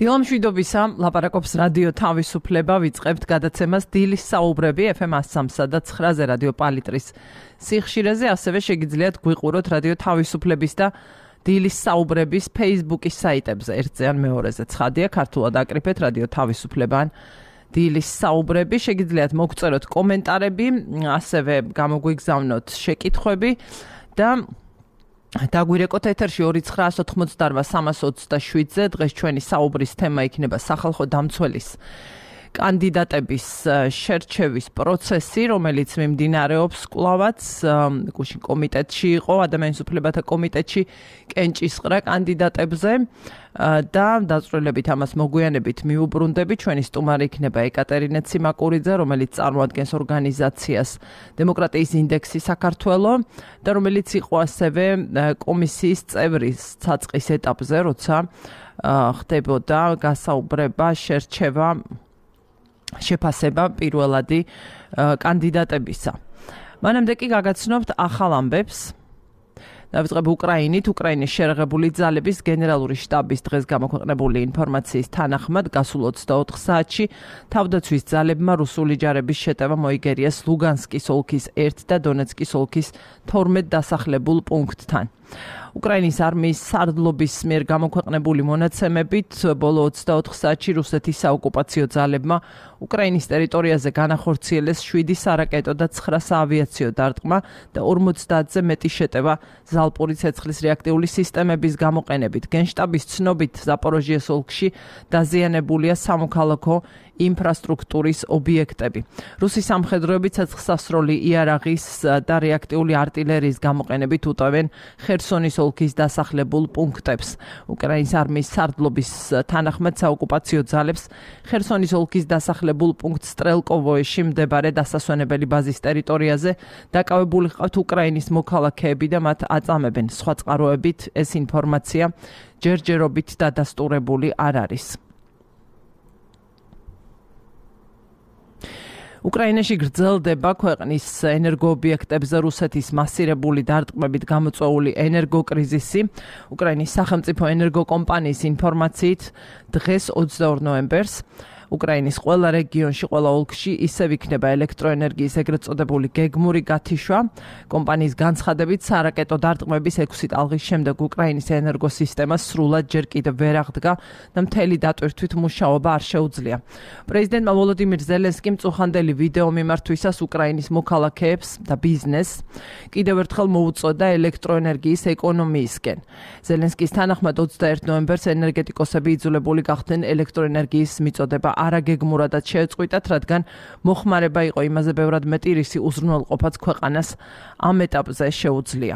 დილამშვიდობისა, ლაპარაკობს რადიო თავისუფლება, ვიწყებთ გადაცემას დილის საუბრები FM 103 და 9-ზე რადიო პალიტრის სიხშირეზე, ასევე შეგიძლიათ გვიყუროთ რადიო თავისუფლების და დილის საუბრების Facebook-ის საიტებზე, ერთზე ან მეორეზე. ცხადია, ქართულად აკრიფეთ რადიო თავისუფლება ან დილის საუბრები, შეგიძლიათ მოგწეროთ კომენტარები, ასევე გამოგვიგზავნოთ შეკითხვები და დაგვირეკოთ ეთერში 29988-327-ზე. დღეს ჩვენი საუბრის თემა იქნება სახალხო დამცველის კანდიდატების შერჩევის პროცესი, რომელიც მიმდინარეობს კვლავაც გუშინ კომიტეტში იყო, ადამიანის უფლებათა კომიტეტში კენჭისყრა კანდიდატებზე და დაწვრილებით ამას მოგვიანებით მიუბრუნდები. ჩვენი სტუმარი იქნება ეკატერინე ციმაკურიძე, რომელიც წარმოადგენს ორგანიზაციას დემოკრატიის ინდექსი საქართველო და რომელიც იყო ასევე კომისიის წევრი საწყის ეტაპზე, როცა ხდებოდა გასაუბრება, შერჩევა, შეფასება პირველადი კანდიდატებისა. მანამდე კი გაგაცნობთ ახალ ამბებს. დავიწყებ უკრაინის შერაღებული ძალების გენერალური შტაბის დღეს გამოქვეყნებული ინფორმაციის თანახმად, გასულ 24 საათში თავდაცვის ძალებმა რუსული ჯარების შეტევა მოიგერიეს ლუგანსკის ოლქის 1 და დონეცკის ოლქის 12 დასახლებულ პუნქტთან. უკრაინის არმიის სარდლობის მიერ გამოქვეყნებული მონაცემებით, ბოლო 24 საათში რუსეთის საოკუპაციო ძალებმა უკრაინის ტერიტორიაზე განახორციელეს 7 სარაკეტო და 9 საავიაციო დარტყმა და 50-ზე მეტი შეტევა ზალპური ცეცხლის რეაქტიული სისტემების გამოყენებით. გენშტაბის ცნობით, ზაპოროჟიეს ოლქში დაზიანებულია სამოქალაქო ინფრასტრუქტურის ობიექტები. რუსი სამხედროები ცეცხლსასროლი იარაღის და რეაქტიული артиლერიის გამოყენებით უტევენ ხერსონის ოლქის დასახლებულ პუნქტებს. უკრაინის არმიის სარდლობის თანახმად საოკუპაციო ძალებს ხერსონის ოლქის დასახლებულ პუნქტ სტრელკოვოეში მდებარე დასასვენებელი ბაზის ტერიტორიაზე დაკავებული ჰყავთ უკრაინის მოქალაქეები და მათ აწამებენ. სხვა წყაროებით ეს ინფორმაცია ჯერჯერობით დადასტურებული არ არის. უკრაინაში გრძელდება ქვეყნის ენერგოობიექტებზე რუსეთის მასირებული დარტყმებით გამოწვეული ენერგოკრიზისი. უკრაინის სახელმწიფო ენერგოკომპანიის ინფორმაციით, დღეს 22 ნოემბერს უკრაინის ყველა რეგიონში, ყველა ოლქში ისევ იქნება ელექტროენერგიის ეგრეთ წოდებული გეგმური გათიშვა. კომპანიის განცხადებით, სარაკეტო დარტყმების 6 ტალღის შემდეგ უკრაინის ენერგოსისტემა სრულად ჯერ კიდევ ვერ აღდგა და მთელი დატვირთვით მუშაობა არ შეუძლია. პრეზიდენტმა ვოლოდიმირ ზელენსკიმ წუხანდელი ვიდეო მიმართვისას უკრაინის მოქალაქეებს და ბიზნესს კიდევ ერთხელ მოუწოდა ელექტროენერგიის ეკონომიისკენ. ზელენსკის თანახმად 21 ნოემბერს ენერგეტიკოსები იძულებული გახდნენ ელექტროენერგიის მიწოდება არაგეგმურადაც შეეწყვიტათ, რადგან მოხმარება იყო იმაზე ბევრად მეტი, რისი უზრუნველყოფაც ქვეყანას ამ ეტაპზე შეუძლია.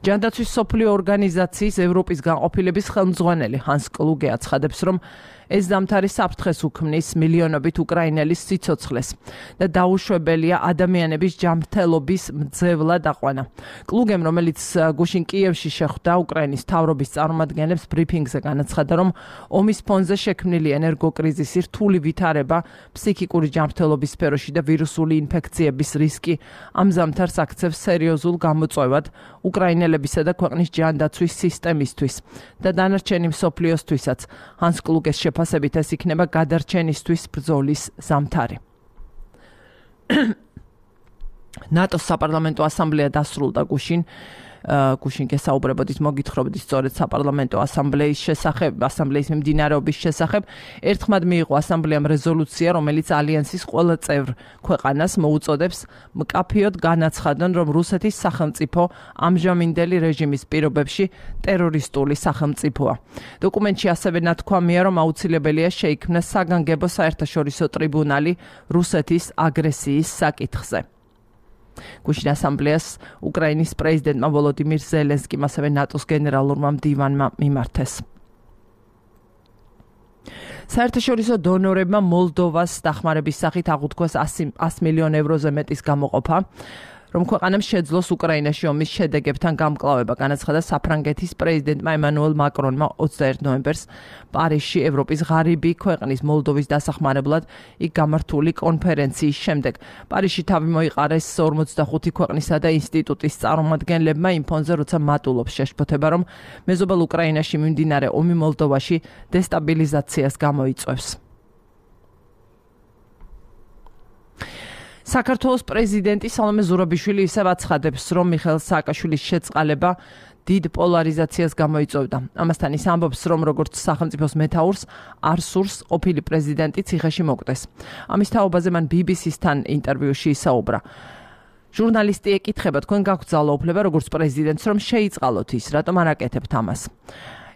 ჯანდაცვის მსოფლიო ორგანიზაციის ევროპის განყოფილების ხელმძღვანელი ჰანს კლუგე აცხადებს, რომ ეს ზამთარი საფრთხეს უქმნის მილიონობით უკრაინელის სიცოცხლეს და დაუშვებელია ადამიანების ჯანმრთელობის მძევლად აყვანა. კლუგემ, რომელიც გუშინ კიევში შეხვდა უკრაინის მთავრობის წარმომადგენლებს, ბრიფინგზე განაცხადა, რომ ომის ფონზე შექმნილი ენერგოკრიზისი, რთული ვითარება ფსიქიკური ჯანმრთელობის სფეროში და ვირუსული ინფექციების რისკი ამ ზამთარს აქცევს სერიოზულ გამოწვევად უკრაინელებისა და ქვეყნის ჯანდაცვის სისტემისთვის და დანარჩენი მსოფლიოსთვისაც. ჰანს კლუგეს შეფასებით ეს იქნება გადარჩენისთვის ბრძოლის ზამთარი. ნატოს საპარლამენტო ასამბლეა დასრულდა გუშინ გესაუბრებოდით, მოგითხრობდით სწორედ საპარლამენტო ასამბლეის მიმდინარეობის შესახებ. ერთხმად მიიღო ასამბლეამ რეზოლუცია, რომელიც ალიანსის ყველა წევრ ქვეყანას მოუწოდებს მკაფიოდ განაცხადონ, რომ რუსეთის სახელმწიფო ამჟამინდელი რეჟიმის პირობებში ტერორისტული სახელმწიფოა. დოკუმენტში ასევე ნათქვამია, რომ აუცილებელია შეიქმნას საგანგებო საერთაშორისო ტრიბუნალი რუსეთის აგრესიის საკითხზე. გუშინ ასამბლეას უკრაინის პრეზიდენტმა ვოლოდიმირ ზელენსკიმ, ასევე ნატოს გენერალურმა მდივანმა მიმართეს. საერთაშორისო დონორებმა მოლდოვას დახმარების სახით აღუთქვეს 100 მილიონ ევროზე მეტის გამოყოფა. რომ ქვეყანამ შეძლოს უკრაინაში ომის შედეგებთან გამკლავება, განაცხადა საფრანგეთის პრეზიდენტმა ემანუელ მაკრონმა 21 ნოემბერს პარიზში ევროპის ღარიბი ქვეყნის მოლდოვის დასახმარებლად იქ გამართული კონფერენციის შემდეგ. პარიზში თავი მოიყარეს 45 ქვეყნისა და ინსტიტუტის წარმომადგენლებმა იმ ფონზე, როცა მატულობს შეშფოთება, რომ მეზობელ უკრაინაში მიმდინარე ომი მოლდოვაში დესტაბილიზაციას გამოიწვევს. საქართველოს პრეზიდენტი სალომე ზურაბიშვილი ისევ აცხადებს, რომ მიხეილ სააკაშვილის შეწყალება დიდ პოლარიზაციას გამოიწვევდა. ამასთან ის ამბობს, რომ როგორც სახელმწიფოს მეთაურს არ სურს ყოფილი პრეზიდენტი ციხეში მოკვდეს. ამის თაობაზე მან BBC-სთან ინტერვიუში ისაუბრა. ჟურნალისტი ეკითხება, თქვენ გაქვთ ძალაუფლება როგორც პრეზიდენტს, რომ შეიწყალოთ ის, რატომ არ აკეთებთ ამას?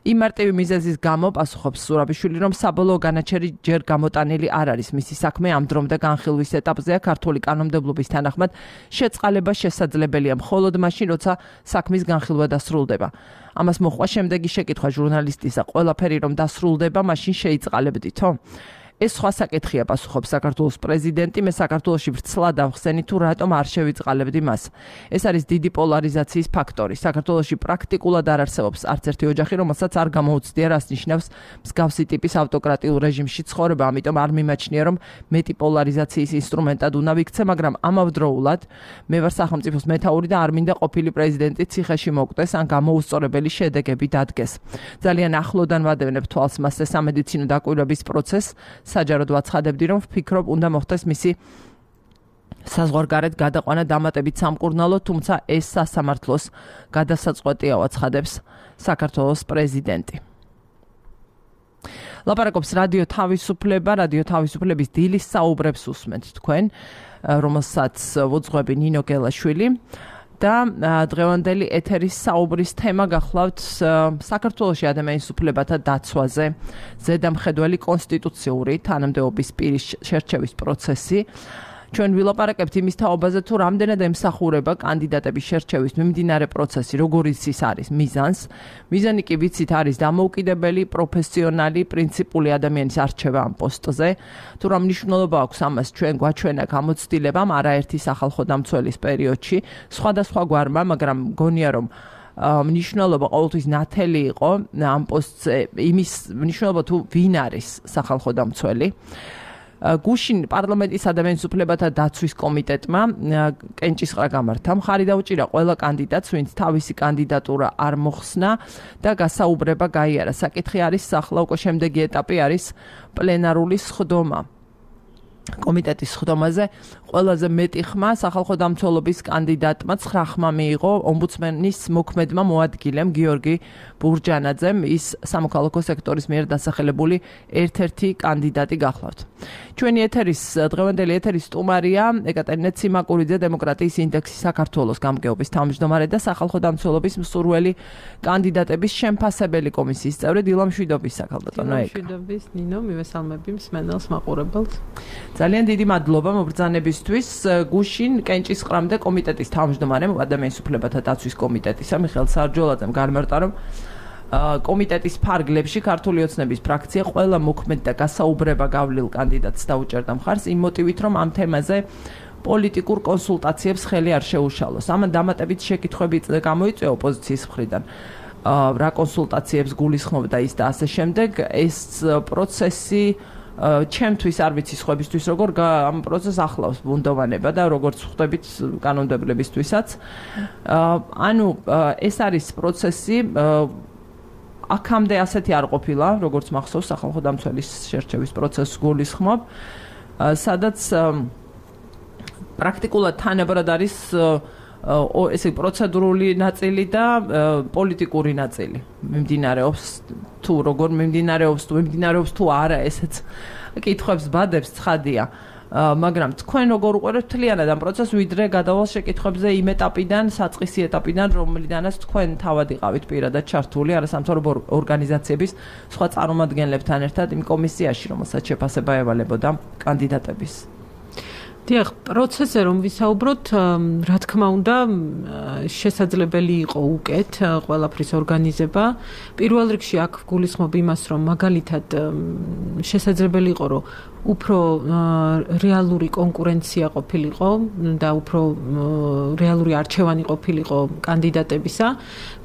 იმ მარტივი მიზეზის გამო პასუხობს ზურაბიშვილი, რომ საბოლოო განაჩერი ჯერ გამოტანილი არ არის. მისი საქმე ამ დრომდე განხილვის ეტაპზეა. ქართული კანონმდებლობის თანახმად შეწყალება შესაძლებელია მხოლოდ მაშინ, როცა საქმის განხილვა დასრულდება. ამას მოჰყვა შემდეგი შეკითხვა ჟურნალისტისა, ყველაფერი რომ დასრულდება, მაშინ შეიწყალებდითო? ეს სხვა საკითხია, პასუხობს საქართველოს პრეზიდენტი. მე საქართველოში ვრცლად ავხსენი თუ რატომ არ შევიწყალებდი მას. ეს არის დიდი პოლარიზაციის ფაქტორი. საქართველოში პრაქტიკულად არ არსებობს არც ერთი ოჯახი, რომელსაც არ გამოუცდია, რას ნიშნავს მსგავსი ტიპის ავტოკრატიულ რეჟიმში ცხოვრება, ამიტომ არ მიმაჩნია, რომ მეტი პოლარიზაციის ინსტრუმენტად უნდა ვიქცე, მაგრამ ამავდროულად მე ვარ სახელმწიფოს მეთაური და არ მინდა ყოფილი პრეზიდენტი ციხეში მოკვდეს ან გამოუსწორებელი შედეგები დადგეს. ძალიან ახლოდან ვადევნებ თვალს მასზე სამედიცინო დაკვირვების პროცესს. საჯაროდ ვაცხადებდი, რომ ვფიქრობ, უნდა მოხდეს მისი საზღვარგარეთ გადაყვანა დამატებით სამკურნალო, თუმცა ეს სასამართლოს გადასაწყვეტია, აცხადებს საქართველოს პრეზიდენტი. ლაპარაკობს რადიო თავისუფლება, რადიო თავისუფლების დილის საუბრებს უსმენთ თქვენ, რომელსაც ვუძღვები ნინო გელაშვილი. და დღევანდელი ეთერის საუბრის თემა გახლავთ საქართველოში ადამიანის უფლებათა დაცვაზე, ზედამხედველი კონსტიტუციური თანამდებობის პირის შერჩევის პროცესი. ჩვენ ვილაპარაკებთ იმის თაობაზე, თუ რამდენად ემსახურება კანდიდატების შერჩევის მიმდინარე პროცესი, როგორიც ის არის მიზანს. მიზანი კი ვიცით არის დამოუკიდებელი, პროფესიონალი, პრინციპული ადამიანის არჩევა ამ პოსტზე. თუ რა მნიშვნელობა აქვს ამას ჩვენ გვაჩვენა გამოცდილებამ არაერთი სახალხო დამცველის პერიოდში, სხვადასხვა გვარმა, მაგრამ მგონია რომ მნიშვნელობა ყოველთვის ნათელი იყო ამ პოსტზე, იმის მნიშვნელობა თუ ვინ არის სახალხო დამცველი. გუშინ პარლამენტის ადამიანის უფლებათა დაცვის კომიტეტმა კენჭისყრა გამართა. მხარი დაუჭირა ყველა კანდიდატს, ვინც თავისი კანდიდატურა არ მოხსნა და გასაუბრება გაიარა. საკითხი არის ახლა უკვე შემდეგი ეტაპი არის პლენარული სხდომა. კომიტეტის სხდომაზე ყველაზე მეტი ხმა სახალხო დამცველობის კანდიდატმა 9 ხმა მიიღო ომბუდსმენის მოქმედმა მოადგილემ გიორგი ბურჯანაძემ. ის სამოქალაქო სექტორის მიერ დასახელებული ერთ-ერთი კანდიდატი გახლავთ. ჩვენი ეთერის დღევანდელი ეთერის სტუმარია ეკატერინე ციმაკურიძე, დემოკრატიის ინდექსის საქართველოს გამგეობის თავმჯდომარე და სახალხო დამცველობის მსურველი კანდიდატების შემფასებელი კომისიის წევრი დილა მშვიდობის საკალბატონო ეკა. მშვიდობის ნინო, მივესალმები მსმენელს მაყურებელს. ძალიან დიდი მადლობა მობრძანებისთვის. გუშინ კენჭისყრამდე კომიტეტის თავმჯდომარემ ადამიანის უფლებათა დაცვის კომიტეტისა მიხეილ სარჯოლაძემ გამარტა, რომ კომიტეტის ფარგლებში ქართული ოცნების ფრაქცია ყველა მოქმედ და გასაუბრება გავლილ კანდიდატს დაუჭერდა მხარს იმ მოტივით, რომ ამ თემაზე პოლიტიკურ კონსულტაციებს ხელი არ შეუშალოს. ამან დამატებით შეკითხვები გამოიწვია ოპოზიციის მხრიდან. რა კონსულტაციებს გულისხმობდა ის და ასე შემდეგ. ეს პროცესი ჩემთვის არ ვიცი სხვებისთვის როგორ ამ პროცესს ახლავს ბუნდოვანება და როგორც ხვდებით კანონმდებლობისთვისაც. ანუ ეს არის პროცესი აქამდე ასეთი არ ყოფილა, როგორც მახსოვს სახალხო დამცველის შერჩევის პროცესს გულისხმობ, სადაც პრაქტიკულად თანაბრად არის ესე პროცედურული ნაწილი და პოლიტიკური ნაწილი. მიმდინარეობს თუ როგორ მიმდინარეობს თუ არა, ესეც კითხვებს ბადებს ცხადია. მაგრამ თქვენ როგორ უყურებთ მთლიანად ამ პროცესს, ვიდრე გადავალ შეკითხვებზე იმ ეტაპიდან, საწყისი ეტაპიდან, რომლიდანაც თქვენ თავად იყავით პირადად ჩართული არასამთავრობო ორგანიზაციების სხვა წარმომადგენლებთან ერთად იმ კომისიაში, რომელსაც შეფასება ევალებოდა კანდიდატების. დიახ, პროცესზე რომ ვისაუბროთ, რა თქმა უნდა, შესაძლებელი იყო უკეთ ყველაფრის ორგანიზება. პირველ რიგში აქ გულისხმობ იმას, რომ მაგალითად შესაძლებელი იყო, რომ უფრო რეალური კონკურენცია ყოფილიყო და უფრო რეალური არჩევანი ყოფილიყო კანდიდატებისა.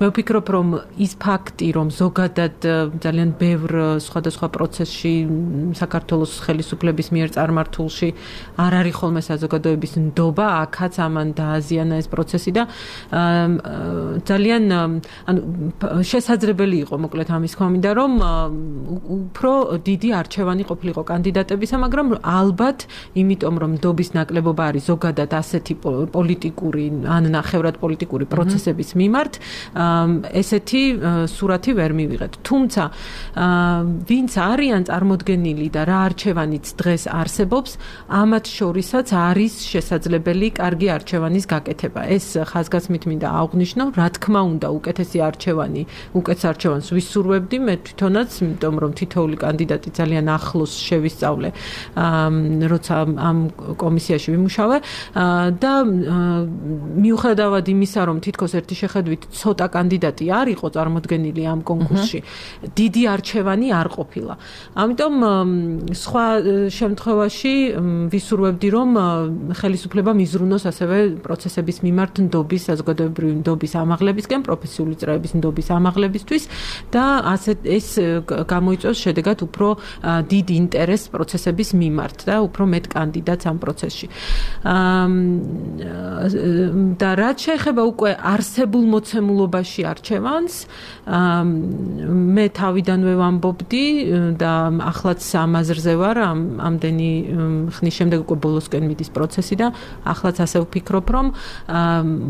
მე ვფიქრობ, რომ ის ფაქტი, რომ ზოგადად ძალიან ბევრ სხვადასხვა პროცესში საქართველოს ხელისუფლების მიერ წარმართულში არ არის ხოლმე საზოგადოების ნდობა, აქაც ამან დააზიანა ეს პროცესი და ძალიან შესაძლებელი იყო მოკლედ ამის ხმამიდა, რომ უფრო დიდი არჩევანი ყოფილიყო კანდიდატებისა, მაგრამ ალბათ იმიტომ რომ ნდობის ნაკლებობა არის ზოგადად ასეთი პოლიტიკური ან ნახევრად პოლიტიკური პროცესების მიმართ, ესეთი სურათი ვერ მივიღეთ. თუმცა ვინც არიან წარმოდგენილი და რა არჩევანიც დღეს არსებობს, ამათ შორისაც არის შესაძლებელი კარგი არჩევანის გაკეთება. ეს ხაზგასმით მინდა აღვნიშნო, რა თქმა უნდა, უკეთესი არჩევანი, უკეთეს არჩევანს ვისურვებდი მე თვითონაც, იმიტომ რომ თითოეული კანდიდატი ძალიან ახლოს შევისწავლე, როცა ამ კომისიაში ვიმუშავე და მიუხედავად იმისა, რომ თითქოს ერთი შეხედვით ცოტა კანდიდატი არ იყო წარმოდგენილი ამ კონკურსში, დიდი არჩევანი არ ყოფილა. ამიტომ სხვა შემთხვევაში ვისურვებდი, რომ ხელისუფლება მიზრუნოს ასევე პროცესების მიმართ ნდობის, საზოგადოებრივი ნდობის ამაღლებისკენ, პროფესიული წრეების ნდობის ამაღლებისთვის და ეს გამოიწვევს შედეგად უფრო დიდ ინტერესს პროცესების მიმართ და უფრო მეტ კანდიდატს ამ პროცესში. და რაც შეეხება უკვე არსებულ მოცემულობაში არჩევანს, მე თავიდანვე ვამბობდი და ახლაც ამაზრზე ვარ, ამდენი ხნის შემდეგ უკვე ბოლოსკენ მიდის პროცესი და ახლაც ასე ვფიქრობ, რომ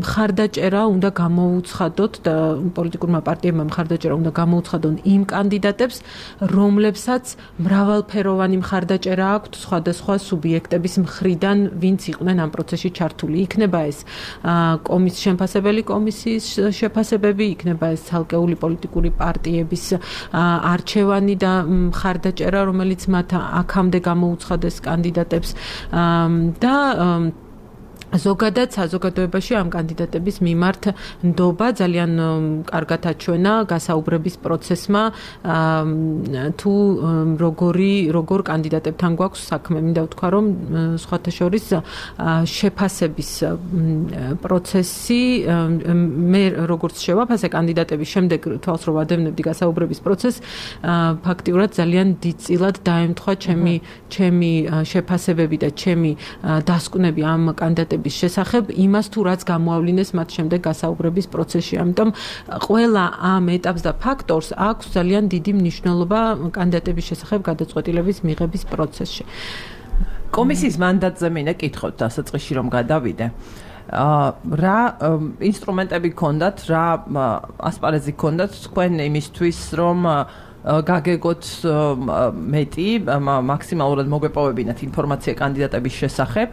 მხარდაჭერა უნდა გამოუცხადოთ და პოლიტიკურმა პარტიებმა მხარდაჭერა უნდა გამოუცხადონ იმ კანდიდატებს, რომლებსაც მრავალფეროვანი მხარდაჭერა აქვთ სხვადასხვა სუბიექტების მხრიდან, ვინც იყვნენ ამ პროცესში ჩართული. იქნება ეს შემფასებელი კომისიის შეფასებები, იქნება ეს ცალკეული პოლიტიკური პარტიების არჩევანი და მხარდაჭერა, რომელიც მათ აქამდე გამოუცხადეს კანდიდატებს და ზოგადად საზოგადოებაში ამ კანდიდატების მიმართ ნდობა ძალიან კარგად აჩვენა გასაუბრების პროცესმა, თუ როგორ კანდიდატებთან გვაქვს საქმე. მინდა ვთქვა, რომ სხვათა შორის შეფასების პროცესი, მე როგორც შევაფასე კანდიდატების შემდეგ თვალს რო ვადევნებდი გასაუბრების პროცესს, ფაქტიურად ძალიან დიდწილად დაემთხვა ჩემი შეფასებები და ჩემი დასკვნები ამ კანდიდატების შესახებ იმას თუ რაც გამოავლინეს მათ შემდეგ გასაუბრების პროცესში. ამიტომ ყველა ამ ეტაპს და ფაქტორს აქვს ძალიან დიდი მნიშვნელობა კანდიდატების შესახებ გადაწყვეტილების მიღების პროცესში. კომისიის მანდატზე მინდა კითხოთ დასაწყისში რომ გადავიდე. რა ინსტრუმენტები გქონდათ, რა ასპარეზი გქონდათ თქვენ იმისთვის, რომ გაგეგოთ მეტი, მაქსიმალურად მოგვეპოვებინათ ინფორმაცია კანდიდატების შესახებ,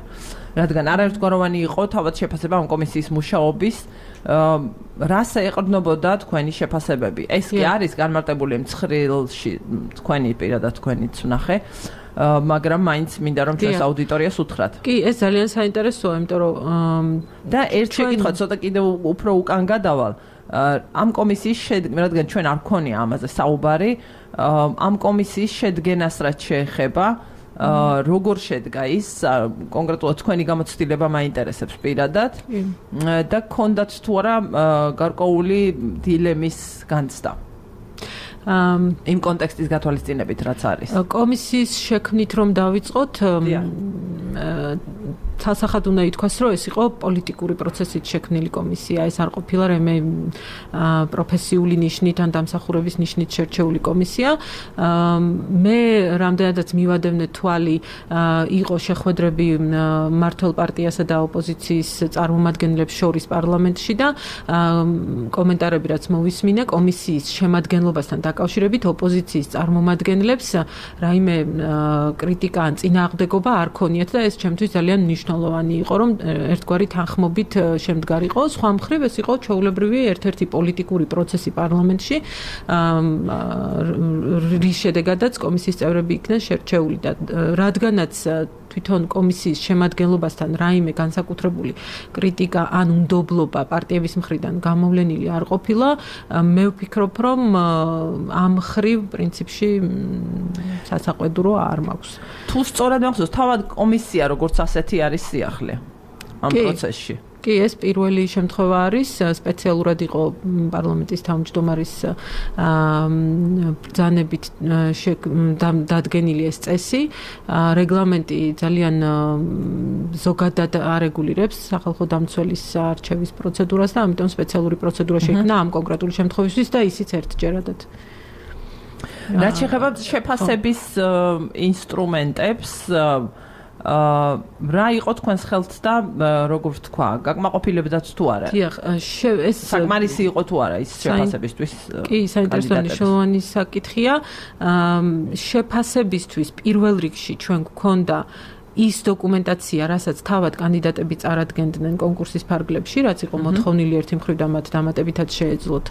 რადგან არაერთგვაროვანი იყო თავად შეფასება ამ კომისიის მუშაობის, რას ეყრდნობოდა თქვენი შეფასებები. ეს კი არის განმარტებული მცხრილში, თქვენი პირადად თქვენიც ვნახე, მაგრამ მაინც მინდა რომ ჩვენს აუდიტორიას უთხრათ. კი, ეს ძალიან საინტერესოა, იმიტომ რომ და ერთ შეკითხვა ცოტა კიდევ უფრო უკან გადავალ. ამ კომისიის შედგენა, რადგან ჩვენ არ გქონია ამაზე საუბარი, ამ კომისიის შედგენას რაც შეეხება, როგორ შედგა ის, კონკრეტულად თქვენი გამოცდილება მაინტერესებს პირადად და გქონდათ თუ არა გარკვეული დილემის განცდა. იმ კონტექსტის გათვალისწინებით რაც არის. კომისიის შექმნით რომ დავიწყოთ, ცალსახად უნდა ითქვას, რომ ეს იყო პოლიტიკური პროცესით შექმნილი კომისია, ეს არ ყოფილა რამე პროფესიული ნიშნით ან დამსახურების ნიშნით შერჩეული კომისია. მე რამდენადაც მივადევნე თვალი, იყო შეხვედრები მმართველ პარტიასა და ოპოზიციის წარმომადგენლებს შორის პარლამენტში და კომენტარები რაც მოვისმინე კომისიის შემადგენლობასთან დაკავშირებით ოპოზიციის წარმომადგენლებს რაიმე კრიტიკა ან წინააღმდეგობა არ ქონიათ და ეს ჩემთვის ძალიან მნიშვნელოვანი იყო, რომ ერთგვარი თანხმობით შემდგარიყო. სხვა მხრივ ეს იყო ჩვეულებრივი ერთ-ერთი პოლიტიკური პროცესი პარლამენტში, რის შედეგადაც კომისიის წევრები იქნენ შერჩეული და რადგანაც თვითონ კომისიის შემადგენლობასთან რაიმე განსაკუთრებული კრიტიკა ან უნდობლობა პარტიების მხრიდან გამოვლენილი არ ყოფილა, მე ვფიქრობ, რომ ამ მხრივ პრინციპში სასაყვედურო არ მაქვს. თუ სწორად მახსოვს, თავად კომისია როგორც ასეთი არის სიახლე ამ პროცესში. კი, ეს პირველი შემთხვევა არის, სპეციალურად იყო პარლამენტის თავმჯდომარის ბრძანებით დადგენილი ეს წესი. რეგლამენტი ძალიან ზოგადად არეგულირებს სახალხო დამცველის არჩევის პროცედურას და ამიტომ სპეციალური პროცედურა შეიქმნა ამ კონკრეტული შემთხვევისთვის და ისიც ერთჯერადად. რაც შეეხება შეფასების ინსტრუმენტებს, რა იყო თქვენს ხელთ და როგორ ვთქვა, გაკმაყოფილებდათ თუ არა? დიახ, ეს საკმარისი იყო თუ არა ის შეფასებისთვის? კი, საინტერესო მნიშვნელოვანი საკითხია. შეფასებისთვის პირველ რიგში ჩვენ გვქონდა ის დოკუმენტაცია, რასაც თავად კანდიდატები წარადგენდნენ კონკურსის ფარგლებში, რაც იყო მოთხოვნილი ერთი მხრივ და მათ დამატებითად შეეძლოთ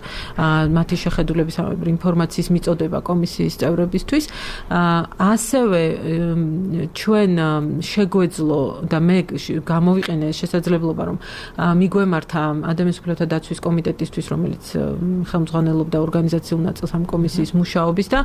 მათი შეხედულების ინფორმაციის მიწოდება კომისიის წევრებისთვის. ასევე ჩვენ შეგვეძლო და მე გამოვიყენე შესაძლებლობა, რომ მიგვემართა ადამიანის უფლებათა დაცვის კომიტეტისთვის, რომელიც ხელმძღვანელობდა ორგანიზაციულ ნაწილს ამ კომისიის მუშაობის და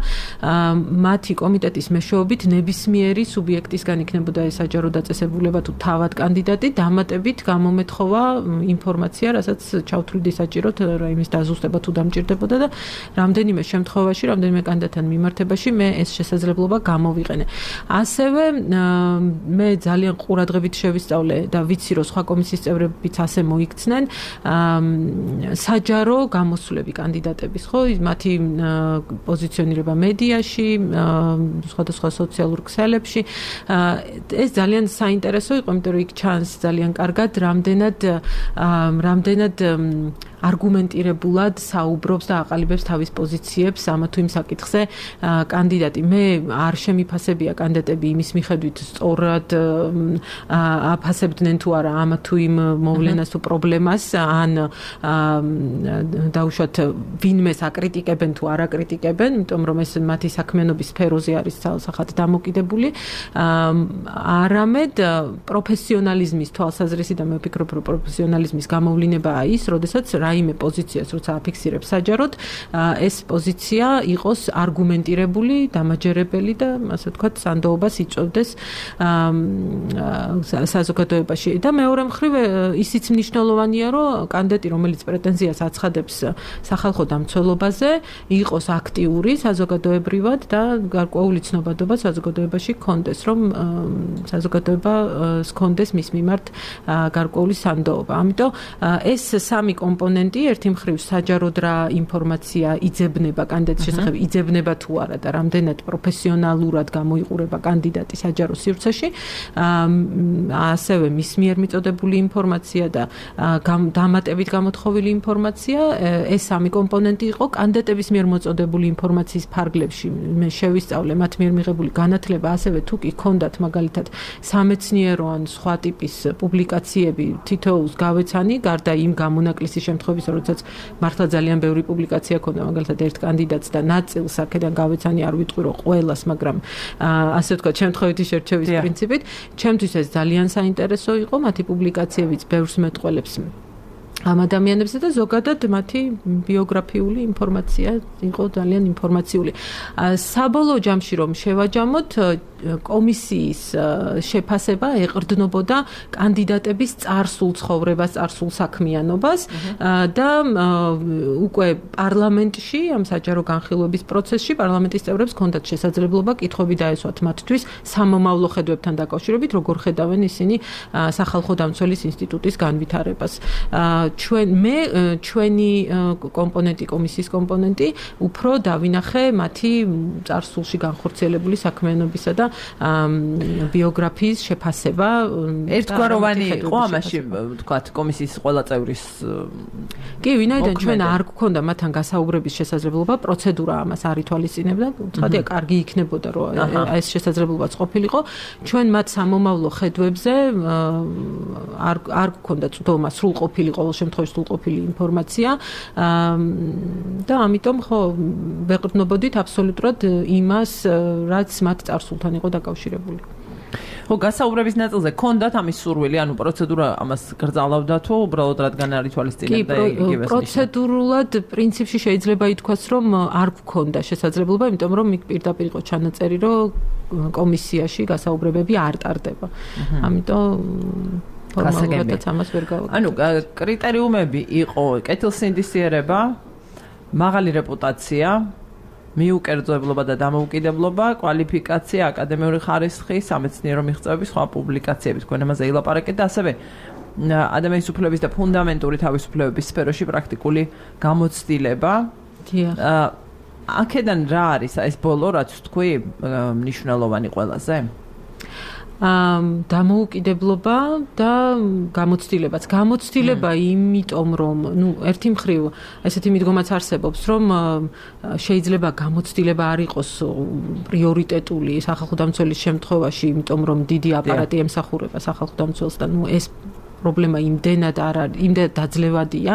მათი კომიტეტის მეშვეობით ნებისმიერი სუბიექტისგან იქნებოდა საჯარო დაწესებულება თუ თავად კანდიდატი დამატებით გამომეთხოვა ინფორმაცია, რასაც ჩავთვლიდი საჭიროდ რაიმის დაზუსტება თუ დამჭირდებოდა და რამდენიმე შემთხვევაში, რამდენიმე კანდიდატთან მიმართებაში მე ეს შესაძლებლობა გამოვიყენე. ასევე მე ძალიან ყურადღებით შევისწავლე და ვიცი, რომ სხვა კომისიის წევრებიც ასე მოიქცნენ საჯარო გამოსვლები კანდიდატების, ხო, მათი პოზიციონირება მედიაში, სხვადასხვა სოციალურ ქსელებში. ეს ძალიან საინტერესო იყო, იმიტომ რომ იქ ჩანს ძალიან კარგად რამდენად არგუმენტირებულად საუბრობს და აყალიბებს თავის პოზიციებს ამა თუ იმ საკითხზე კანდიდატი. მე არ შემიფასებია კანდიდატები იმის მიხედვით სწორად აფასებდნენ თუ არა ამა თუ იმ მოვლენას თუ პრობლემას, ან დაუშვათ ვინმეს აკრიტიკებენ თუ არ აკრიტიკებენ, იმიტომ რომ ეს მათი საქმიანობის სფეროზე არის ცალსახად დამოკიდებული. არამედ პროფესიონალიზმის თვალსაზრისი და მე ვფიქრობ, რომ პროფესიონალიზმის გამოვლინებაა ის, როდესაც რაიმე პოზიციას როცა აფიქსირებს საჯაროდ, ეს პოზიცია იყოს არგუმენტირებული, დამაჯერებელი და ასე ვთქვათ, სანდოობას იწვევდეს საზოგადოებაში. და მეორე მხრივ ისიც მნიშვნელოვანია, რომ კანდიდატი, რომელიც პრეტენზიას აცხადებს სახალხო დამცველობაზე, იყოს აქტიური საზოგადოებრივად და გარკვეული ცნობადობა საზოგადოებაში ჰქონდეს, რომ საზოგადოება ჰქონდეს მის მიმართ გარკვეული სანდოობა. ამიტომ ეს სამი კომპონენტი, ერთი მხრივ საჯაროდ რა ინფორმაცია იძებნება კანდიდატის შესახებ, იძებნება თუ არა და რამდენად პროფესიონალურად გამოიყურება კანდიდატი საჯარო სივრცეში, ასევე მის მიერ მიწოდებული ინფორმაცია და დამატებით გამოთხოვილი ინფორმაცია, ეს სამი კომპონენტი იყო კანდიდატების მიერ მოწოდებული ინფორმაციის ფარგლებში. მე შევისწავლე მათ მიერ მიღებული განათლება, ასევე თუ კი ჰქონდათ მაგალითად სამეცნიერო ან სხვა ტიპის პუბლიკაციები თითოეულს გავეცანი, გარდა იმ გამონაკლისის შემთხვევისა, როდესაც მართლა ძალიან ბევრი პუბლიკაცია ჰქონდა მაგალითად ერთ კანდიდატს და ნაწილს აქედან გავეცანი, არ ვიტყვი რომ ყველას, მაგრამ ასე ვთქვათ, შემთხვევითი შერჩევის პრინციპით, ჩემთვის ეს ძალიან საინტერესო იყო, მათი პუბლიკაციებიც ბევრს მეტყველებს ამ ადამიანებზე და ზოგადად მათი ბიოგრაფიული ინფორმაცია იყო ძალიან ინფორმაციული. საბოლოო ჯამში რომ შევაჯამოთ, კომისიის შეფასება ეყრდნობოდა კანდიდატების წარსულ ცხოვრებას, წარსულ საქმიანობას და უკვე პარლამენტში, ამ საჯარო განხილვების პროცესში პარლამენტის წევრებს ჰქონდათ შესაძლებლობა კითხვები დაესვათ მათთვის სამომავლო ხედვებთან დაკავშირებით, როგორ ხედავენ ისინი სახალხო დამცველის ინსტიტუტის განვითარებას. ჩვენი კომპონენტი, კომისიის კომპონენტი უფრო დავინახე მათი წარსულში განხორციელებული საქმიანობისა და ბიოგრაფიის შეფასება. ერთგვაროვანი იყო ამაში, ვთქვათ, კომისიის ყველა წევრის. კი, ვინაიდან ჩვენ არ გვქონდა მათთან გასაუბრების შესაძლებლობა, პროცედურა ამას არ ითვალისწინებდა, ცხადია, კარგი იქნებოდა, რომ ეს შესაძლებლობაც ყოფილიყო. ჩვენ მათ სამომავლო ხედვებზე არ გვქონდა წვდომა, სრულყოფილი ყოველ შემთხვევაში სრულყოფილი ინფორმაცია და ამიტომ ხო ვეყრდნობოდით აბსოლუტურად იმას, რაც მათ წარსულთან იყო დაკავშირებული. ხო, გასაუბრების ნაწილზე გქონდათ ამის სურვილი, ანუ პროცედურა ამას გრძალავდა თუ უბრალოდ რადგან არ ითვალისწინებდა იგივეს ნიშნავს? პროცედურულად პრინციპში შეიძლება ითქვას, რომ არ გქონდა შესაძლებლობა, იმიტომ რომ იქ პირდაპირ იყო ჩანაწერი, რომ კომისიაში გასაუბრებები არ ტარდება. ამიტომ ფორმალურადაც ამას ვერ გავაკეთე. ანუ კრიტერიუმები იყო კეთილსინდისიერება, მაღალი რეპუტაცია, მიუკერძოებლობა და დამოუკიდებლობა, კვალიფიკაცია, აკადემიური ხარისხი, სამეცნიერო მიღწევები, სხვა პუბლიკაციები, თქვენ ამაზე ილაპარაკეთ და ასევე ადამიანის უფლებების და ფუნდამენტური თავისუფლებების სფეროში პრაქტიკული გამოცდილება. დიახ. აქედან რა არის ეს ბოლო, რაც თქვი, მნიშვნელოვანი ყველაზე? დამოუკიდებლობა და გამოცდილებაც. გამოცდილება იმიტომ, რომ, ერთი მხრივ ესეთი მიდგომაც არსებობს, რომ შეიძლება გამოცდილება არ იყოს პრიორიტეტული სახალხო დამცველის შემთხვევაში, იმიტომ რომ დიდი აპარატი ემსახურება სახალხო დამცველს და ეს პრობლემა იმდენად დაძლევადია,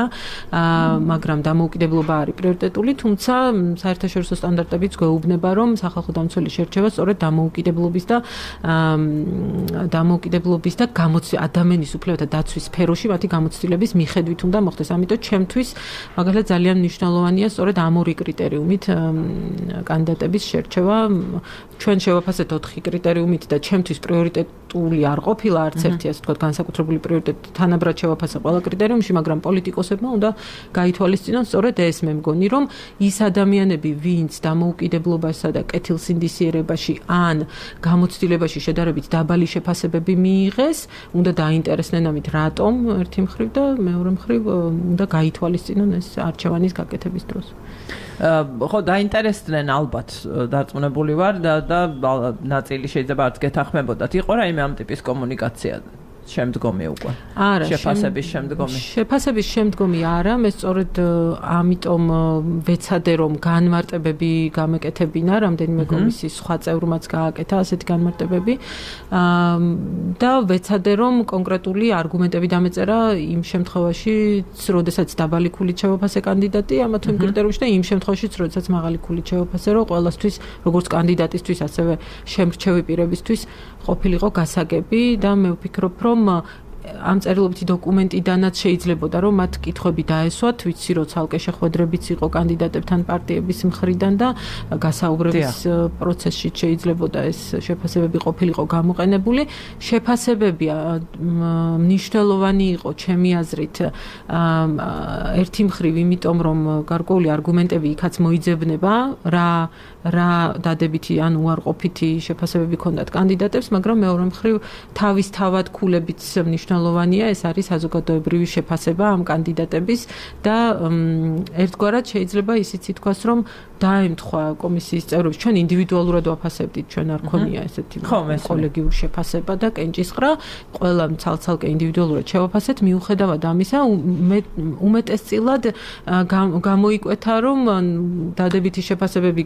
მაგრამ დამოუკიდებლობა არის პრიორიტეტული, თუმცა საერთაშორისო სტანდარტებიც გვეუბნება, რომ სახალხო დამცველის შერჩევა სწორედ დამოუკიდებლობის და ადამიანის უფლებათა დაცვის სფეროში მათი გამოცდილების მიხედვით უნდა მოხდეს. ამიტომ ჩემთვის მაგალითად ძალიან მნიშვნელოვანია სწორედ ამ ორი კრიტერიუმით კანდიდატების შერჩევა. ჩვენ შევაფასეთ 4 კრიტერიუმით და ჩემთვის პრიორიტეტული არ ყოფილა არც ერთი, ასე ვთქვათ, განსაკუთრებული პრიორიტეტი თანაბრად შევაფასე ყველა კრიტერიუმში, მაგრამ პოლიტიკოსებმა უნდა გაითვალისწინონ სწორედ ეს. მე მგონი, რომ ის ადამიანები, ვინც დამოუკიდებლობასა და კეთილსინდისიერებაში ან გამოცდილებაში შედარებით დაბალი შეფასებები მიიღეს, უნდა დაინტერესდნენ ამით რატომ ერთი მხრივ და მეორე მხრივ უნდა გაითვალისწინონ ეს არჩევანის გაკეთების დროს. ხო, დაინტერესდნენ ალბათ, დარწმუნებული ვარ და ნაწილი შეიძლება არც გეთანხმებოდათ. იყო რაიმე ამ ტიპის კომუნიკაცია? შემდგომი უკვე. არა, შეფასების შემდგომი. შეფასების შემდგომი არა, მე სწორედ ამიტომ ვეცადე რომ განმარტებები გამეკეთებინა, რამდენიმე კომისიის სხვა წევრმაც გააკეთა ასეთი განმარტებები. და ვეცადე რომ კონკრეტული არგუმენტები დამეწერა იმ შემთხვევაში, როდესაც დაბალი ქულით შევაფასე კანდიდატი ამა თუ იმ კრიტერიუმში და იმ შემთხვევაში, როდესაც მაღალი ქულით შევაფასე, რომ ყველასთვის, როგორც კანდიდატისთვის, ასევე შემრჩევი პირებისთვის ყოფილიყო გასაგები და მე ვფიქრობ, რომ ამ წერილობითი დოკუმენტიდანაც შეიძლებოდა რომ მათ კითხვები დაესვათ, ვიცი რომ ცალკე შეხვედრებიც იყო კანდიდატებთან პარტიების მხრიდან და გასაუბრების პროცესში შეიძლებოდა ეს შეფასებები ყოფილიყო გამოყენებული. შეფასებები მნიშვნელოვანი იყო ჩემი აზრით ერთი მხრივ იმიტომ რომ გარკვეული არგუმენტები იქაც მოიძებნება რა დადებითი ან უარყოფითი შეფასებები ჰქონდათ კანდიდატებს, მაგრამ მეორე მხრივ თავისთავად ქულებიც მნიშვნელოვანია, ეს არის საზოგადოებრივი შეფასება ამ კანდიდატების და ერთგვარად შეიძლება ისიც ითქვას, რომ დაემთხვა კომისიის წევრებს, ჩვენ ინდივიდუალურად ვაფასებდით, ჩვენ არ ქონია ესეთი კოლეგიური შეფასება და კენჭისყრა, ყველა ცალ-ცალკე ინდივიდუალურად შევაფასეთ, მიუხედავად ამისა, უმეტესწილად გამოიკვეთა, რომ დადებითი შეფასებები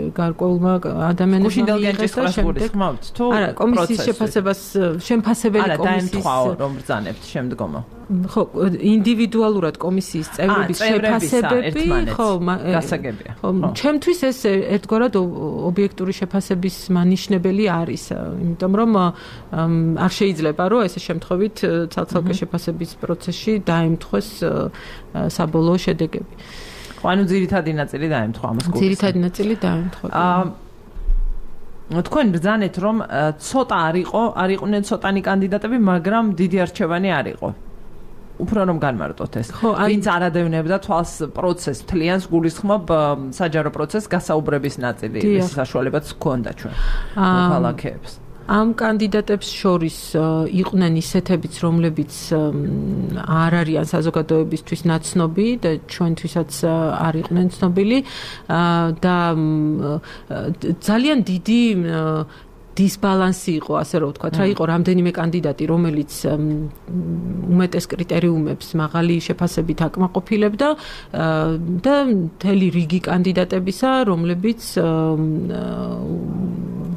გარკვეულმა ადამიანებმა მიიღეს და შემდეგ არა, კომისიის შეფასებას შემფასებელი კომისიის რომ ბრძანებთ შემდგომო. ხო, ინდივიდუალურად კომისიის წევრების შეფასებები, ხო, გასაგებია. ხო, ჩემთვის ეს ერთგვარად ობიექტური შეფასების მანიშნებელი არის, იმიტომ რომ არ შეიძლება რომ ესე შემთხვევით ცალ-ცალკე შეფასების პროცესში დაემთხვეს საბოლოო შედეგები. ხო, ანუ ძირითადი ნაწილი დაემთხვა ამას გულს. ძირითადი ნაწილი დაემთხვა. თქვენ ბრძანეთ რომ ცოტა არ იყვნენ ცოტანი კანდიდატები, მაგრამ დიდი არჩევანი არ იყო. უფრო რომ განმარტოთ ეს. ვინც არადევნებდა თვალს პროცესს, თლიანს გულისხმობ საჯარო პროცესს გასაუბრების ნაწილი, ეს საშუალებაც ჰქონდა ჩვენ მოქალაქეებს. ამ კანდიდატებს შორის იყვნენ ისეთებიც, რომლებიც არ არიან საზოგადოებისთვის ნაცნობი და ჩვენთვისაც არ იყვნენ ცნობილი და ძალიან დიდი დისბალანსი იყო, ასე რომ ვთქვათ, რა იყო რამდენიმე კანდიდატი, რომელიც უმეტეს კრიტერიუმებს მაღალი შეფასებით აკმაყოფილებდა და მთელი რიგი კანდიდატებისა, რომლებიც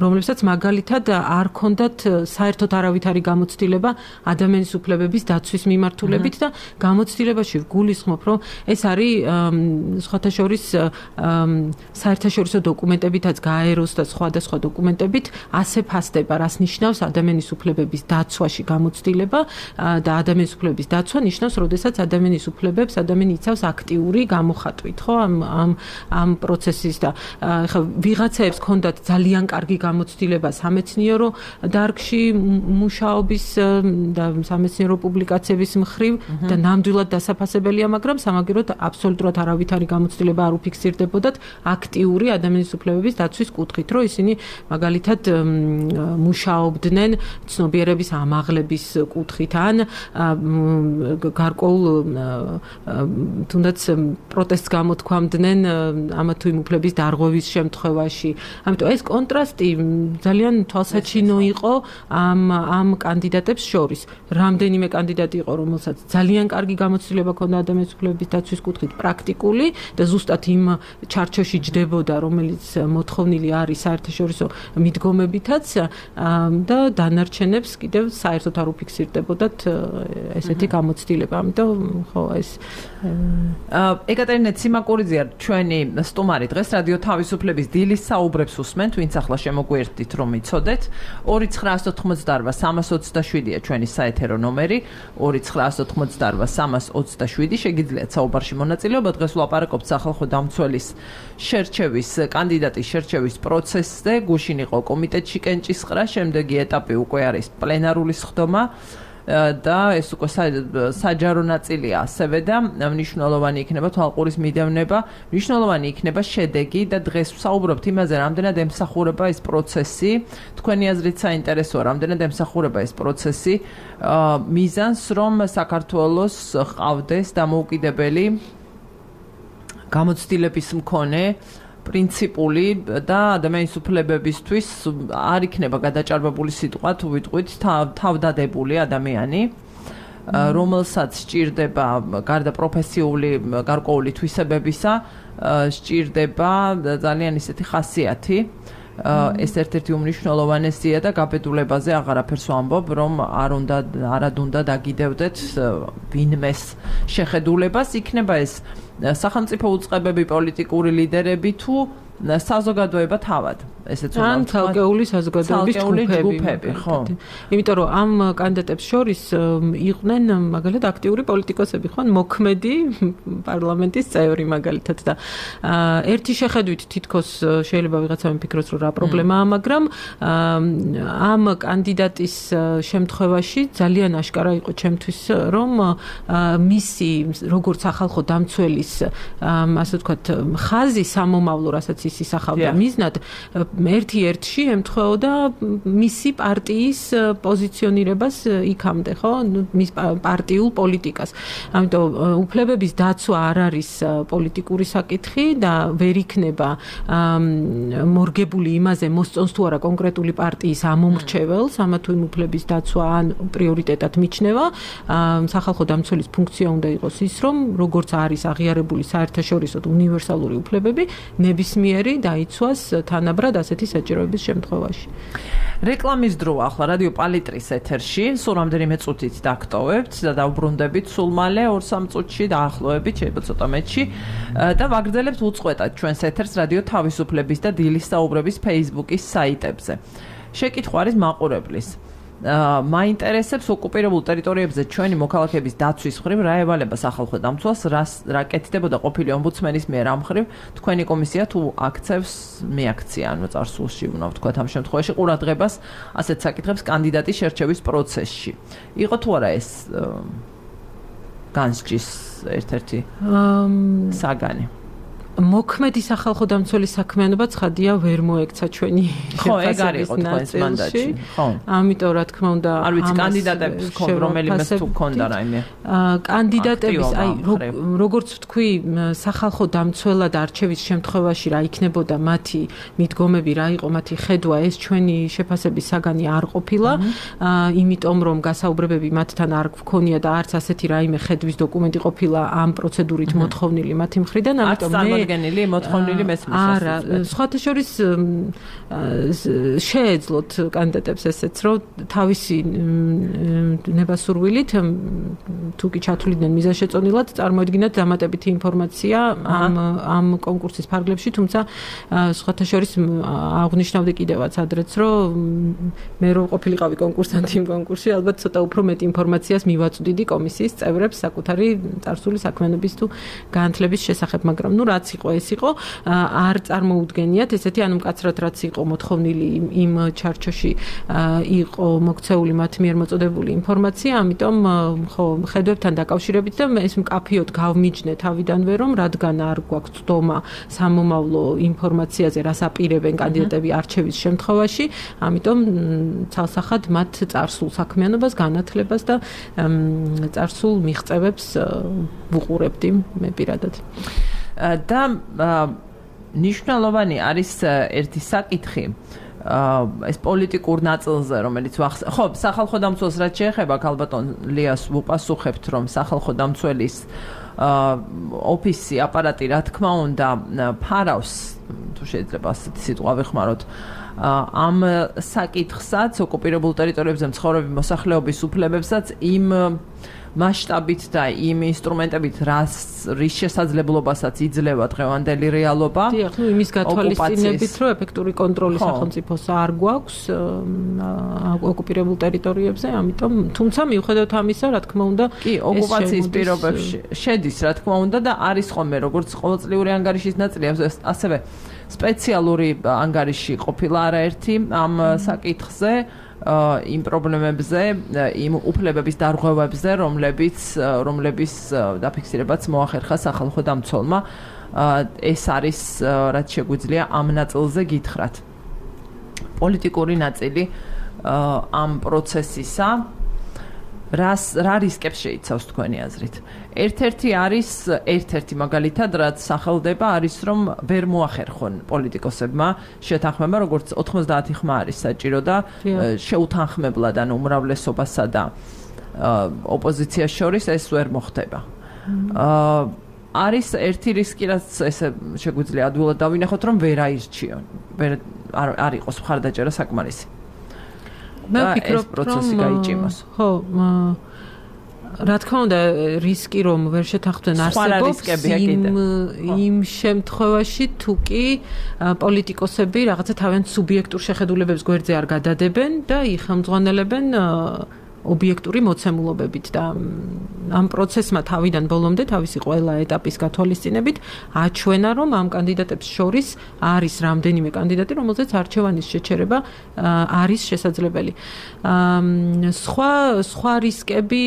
რომლებსაც მაგალითად არ ქონდათ საერთოდ არავითარი გამოცდილება ადამიანის უფლებების დაცვის მიმართულებით და გამოცდილებაში გულისხმობ, რომ ეს არის სხვათა შორის საერთაშორისო დოკუმენტებითაც გაეროს და სხვადასხვა დოკუმენტებით ასე ფასდება, რას ნიშნავს ადამიანის უფლებების დაცვაში გამოცდილება და ადამიანის უფლებების დაცვა ნიშნავს, როდესაც ადამიანის უფლებებს ადამიანი იცავს აქტიური გამოხატვით, ხო, ამ პროცესის და ხა ვიღაცებს ქონდათ ძალიან კარგი გამოცდილება სამეცნიერო დარგში მუშაობის და სამეცნიერო პუბლიკაციების მხრივ და ნამდვილად დასაფასებელია, მაგრამ სამაგეროდ აბსოლუტურად არავითარი გამოცდილება არ უფიქსირდებოდათ აქტიური ადამიანის უფლებების დაცვის კუთხით, რომ ისინი მაგალითად მუშაობდნენ ცნობიერების ამაღლების კუთხით ან გარკვეულ თუნდაც პროტესტს გამოთქვამდნენ ამა თუ იმ უფლების დარღვევის შემთხვევაში. ამიტომ ეს კონტრასტი ძალიან თვალსაჩინო იყო ამ კანდიდატებს შორის. რამდენიმე კანდიდატი იყო, რომელსაც ძალიან კარგი გამოცდილება ჰქონდა ადამიანის უფლებების დაცვის კუთხით პრაქტიკული და ზუსტად იმ ჩარჩოში ჯდებოდა, რომელიც მოთხოვნილი არის საერთაშორისო მიდგომებითაც და დანარჩენებს კიდევ საერთოდ არ უფიქსირდებოდათ ესეთი გამოცდილება. ამიტომ ხო ეს ეკატერინე ციმაკურიძე ჩვენი სტუმარი დღეს რადიო თავისუფლების დილის საუბრებს უსმენთ, ვინც ახლა შემოგვიერთდით რომ იცოდეთ. 2988327-ია ჩვენი საეთერო ნომერი, 2988327 შეგიძლიათ საუბარში მონაწილეობა. დღეს ვლაპარაკობთ სახალხო დამცველის შერჩევის კანდიდატის შერჩევის პროცესზე. გუშინ იყო კომიტეტში კენჭისყრა, შემდეგი ეტაპი უკვე არის პლენარული სხდომა და ეს უკვე საჯარო ნაწილია ასევე და მნიშვნელოვანი იქნება თვალყურის მიდევნება, მნიშვნელოვანი იქნება შედეგი და დღეს ვსაუბრობთ იმაზე, რამდენად ემსახურება ეს პროცესი. თქვენი აზრით საინტერესოა, რამდენად ემსახურება ეს პროცესი მიზანს, რომ საქართველოს ყავდეს დამოუკიდებელი გამოცდილების მქონე პრინციპული და ადამიანის უფლებებისთვის არ იქნება გადაჭარბებული სიტყვა, თუ ვიტყვით თავდადებული ადამიანი, რომელსაც სჭირდება გარდა პროფესიული გარკვეული თვისებებისა, სჭირდება ძალიან ისეთი ხასიათი. ეს ერთ-ერთი უმნიშვნელოვანესია და გაბედულებაზე აღარაფერს ვამბობ, რომ არად უნდა დაგიდევდეთ ვინმეს შეხედულებას, იქნება ეს სახელმწიფო უწყებები, პოლიტიკური ლიდერები თუ საზოგადოება თავად. ესეც უნდა ან თალკეული საზოგადოების ჯგუფები, ხო. იმიტომ რომ ამ კანდიდატებს შორის იყვნენ მაგალითად აქტიური პოლიტიკოსები, ხო, მოქმედი პარლამენტის წევრი მაგალითად და ერთი შეხედვით თითქოს შეიძლება ვიღაცა მიფიქროს, რომ რა პრობლემაა, მაგრამ ამ კანდიდატის შემთხვევაში ძალიან აშკარა იყო ჩემთვის, რომ მისი როგორც სახალხო დამცველის ასე ვთქვათ ხაზი სამომავლო, რასაც ის ისახავდა მიზნად ერთ-ერთში ემთხვეოდა მისი პარტიის პოზიციონირებას იქამდე, ხო? მის პარტიულ პოლიტიკას. ამიტომ უფლებების დაცვა არ არის პოლიტიკური საკითხი და ვერ იქნება მორგებული იმაზე, მოსწონს თუ არა კონკრეტული პარტიის ამომრჩეველს, ამა თუ იმ უფლების დაცვა ან პრიორიტეტად მიჩნევა. სახალხო დამცველის ფუნქცია უნდა იყოს ის, რომ როგორც არის აღიარებული საერთაშორისო უნივერსალური უფლებები, ნებისმიერი დაიცვას თანაბრად ასეთი საჭიროების შემთხვევაში. რეკლამის დროა ახლა რადიო პალიტრის ეთერში, სულ რამდენიმე წუთით დაგტოვებთ და დავბრუნდებით სულ მალე 2-3 წუთში დაახლოებით, შეიძლება ცოტა მეტში და ვაგრძელებთ უწყვეტად ჩვენს ეთერს რადიო თავისუფლების და დილის საუბრების Facebook-ის საიტებზე. შეკითხვა არის მაყურებლის. მაინტერესებს ოკუპირებულ ტერიტორიებზე ჩვენი მოქალაქეების დაცვის მხრივ რა ევალება სახალხო დამცველს, რა კეთდებოდა ყოფილი ომბუდსმენის მიერ ამ მხრივ თქვენი კომისია თუ აქცევს მეაქცია, ანუ წარსულში უნდა ვთქვათ ამ შემთხვევაში ყურადღებას ასეთ საკითხებს კანდიდატის შერჩევის პროცესში. იყო თუ არა ეს განსჯის ერთ-ერთი საგანი? მოქმედი სახალხო დამცველის საქმიანობა ცხადია ვერ მოექცა ჩვენი შეფასების ნაწილში. ამიტომ რა თქმა უნდა, არ ვიცი კანდიდატებს რომელიმე თუ ქონდა რაიმე. კანდიდატების, აი როგორც ვთქვი, სახალხო დამცველად არჩევის შემთხვევაში რა იქნებოდა მათი მიდგომები, რა იყო მათი ხედვა, ეს ჩვენი შეფასების საგანი არ ყოფილა, იმიტომ რომ გასაუბრებები მათთან არ გქონია და არც ასეთი რაიმე ხედვის დოკუმენტი ყოფილა ამ პროცედურით მოთხოვნილი მათი მხრიდან, ამიტომ მე წარდგენილი მოთხოვნილი მესმის არა, სხვათა შორის შეეძლოთ კანდიდატებს ესეც, რომ თავისი ნებასურვილით თუ კი ჩათვლიდნენ მიზანშეწონილად წარმოედგინათ დამატებითი ინფორმაცია ამ კონკურსის ფარგლებში, თუმცა სხვათა შორის აღნიშნავდი კიდევაც ადრეც, რომ მე რო ყოფილიყავი კონკურსანტი იმ კონკურსში, ალბათ ცოტა უფრო მეტ ინფორმაციას მივაწვდიდი კომისიის წევრებს საკუთარი წარსული საქმიანობის თუ განათლების შესახებ, მაგრამ ნუ რაც იყო ეს იყო, არ წარმოუდგენიათ ესეთი ანუ მკაცრად რაც იყო მოთხოვნილი იმ ჩარჩოში იყო მოქცეული მათ მიერ მოწოდებული ინფორმაცია, ამიტომ ხო ხედვებთან დაკავშირებით და ეს მკაფიოდ გავმიჯნე თავიდანვე, რომ რადგან არ გვაქვს ცდომა სამომავლო ინფორმაციაზე, რას აპირებენ კანდიდატები არჩევის შემთხვევაში, ამიტომ ცალსახად მათ წარსულ საქმიანობას, განათლებას და წარსულ მიღწევებს ვუყურებდი მე პირადად. და ნიშნულოვანი არის ერთი საკითხი ეს პოლიტიკურ ნაწილზე, რომელიც ხო, სახალხო დამცველს რაც შეეხება, ქალბატონ ლიას ვუპასუხებთ, რომ სახალხო დამცველის ოფისი, აპარატი, რა თქმა უნდა, ფარავს, თუ შეიძლება ასეთი სიტყვა ვეხმაროთ, ამ საკითხსაც, ოკუპირებულ ტერიტორიებზე მცხოვრები მოსახლეობის უფლებებსაც იმ მასშტაბით და იმ ინსტრუმენტებით, რის შესაძლებლობასაც იძლევა დღევანდელი რეალობა. დიახ, ნუ იმის გათვალისწინებით, რომ ეფექტური კონტროლი სახელმწიფოს არ გვაქვს ოკუპირებულ ტერიტორიებზე, ამიტომ, თუმცა მიუხედავად ამისა, რა თქმა უნდა, კი, ოკუპაციის პირობებში შედის, რა თქმა უნდა, და არის ხოლმე როგორც ყოველწლიური ანგარიშის ნაწილი, ასევე სპეციალური ანგარიში ყოფილა არაერთი ამ საკითხზე. იმ პრობლემებზე, იმ უფლებების დარღვევებზე, რომლებიც დაფიქსირებაც მოახერხა სახალხო დამცველმა, ეს არის რაც შეგვიძლია ამ ნაწილზე გითხრათ. პოლიტიკური ნაწილი ამ პროცესისა რა რისკებს შეიცავს თქვენი აზრით? ერთ-ერთი მაგალითად, რაც სახელდება, არის რომ ვერ მოახერხონ პოლიტიკოსებმა შეთანხმება, როგორც 90 ხმა არის საჭირო და შეუთანხმებლად ანუ უმრავლესობასა და ოპოზიციას შორის ეს ვერ მოხდება. არის ერთი რისკი, რაც ესე შეგვიძლია ადვილად დავინახოთ, რომ ვერ აირჩიონ, არ იყოს მხარდაჭერა საკმარისი. მე ვფიქრობ, რომ ხო, რა თქმა უნდა, რისკი რომ ვერ შეთანხმდნენ არსებობს იმ შემთხვევაში, თუ კი პოლიტიკოსები რაღაცა თავიანთ სუბიექტურ შეხედულებებს გვერდზე არ გადადებენ და იხელმძღვანელებენ ობიექტური მოცემულობებით და ამ პროცესმა თავიდან ბოლომდე თავისი ყველა ეტაპის გათვალისწინებით აჩვენა, რომ ამ კანდიდატებს შორის არის რამდენიმე კანდიდატი, რომელზეც არჩევანის შეჩერება არის შესაძლებელი. სხვა რისკები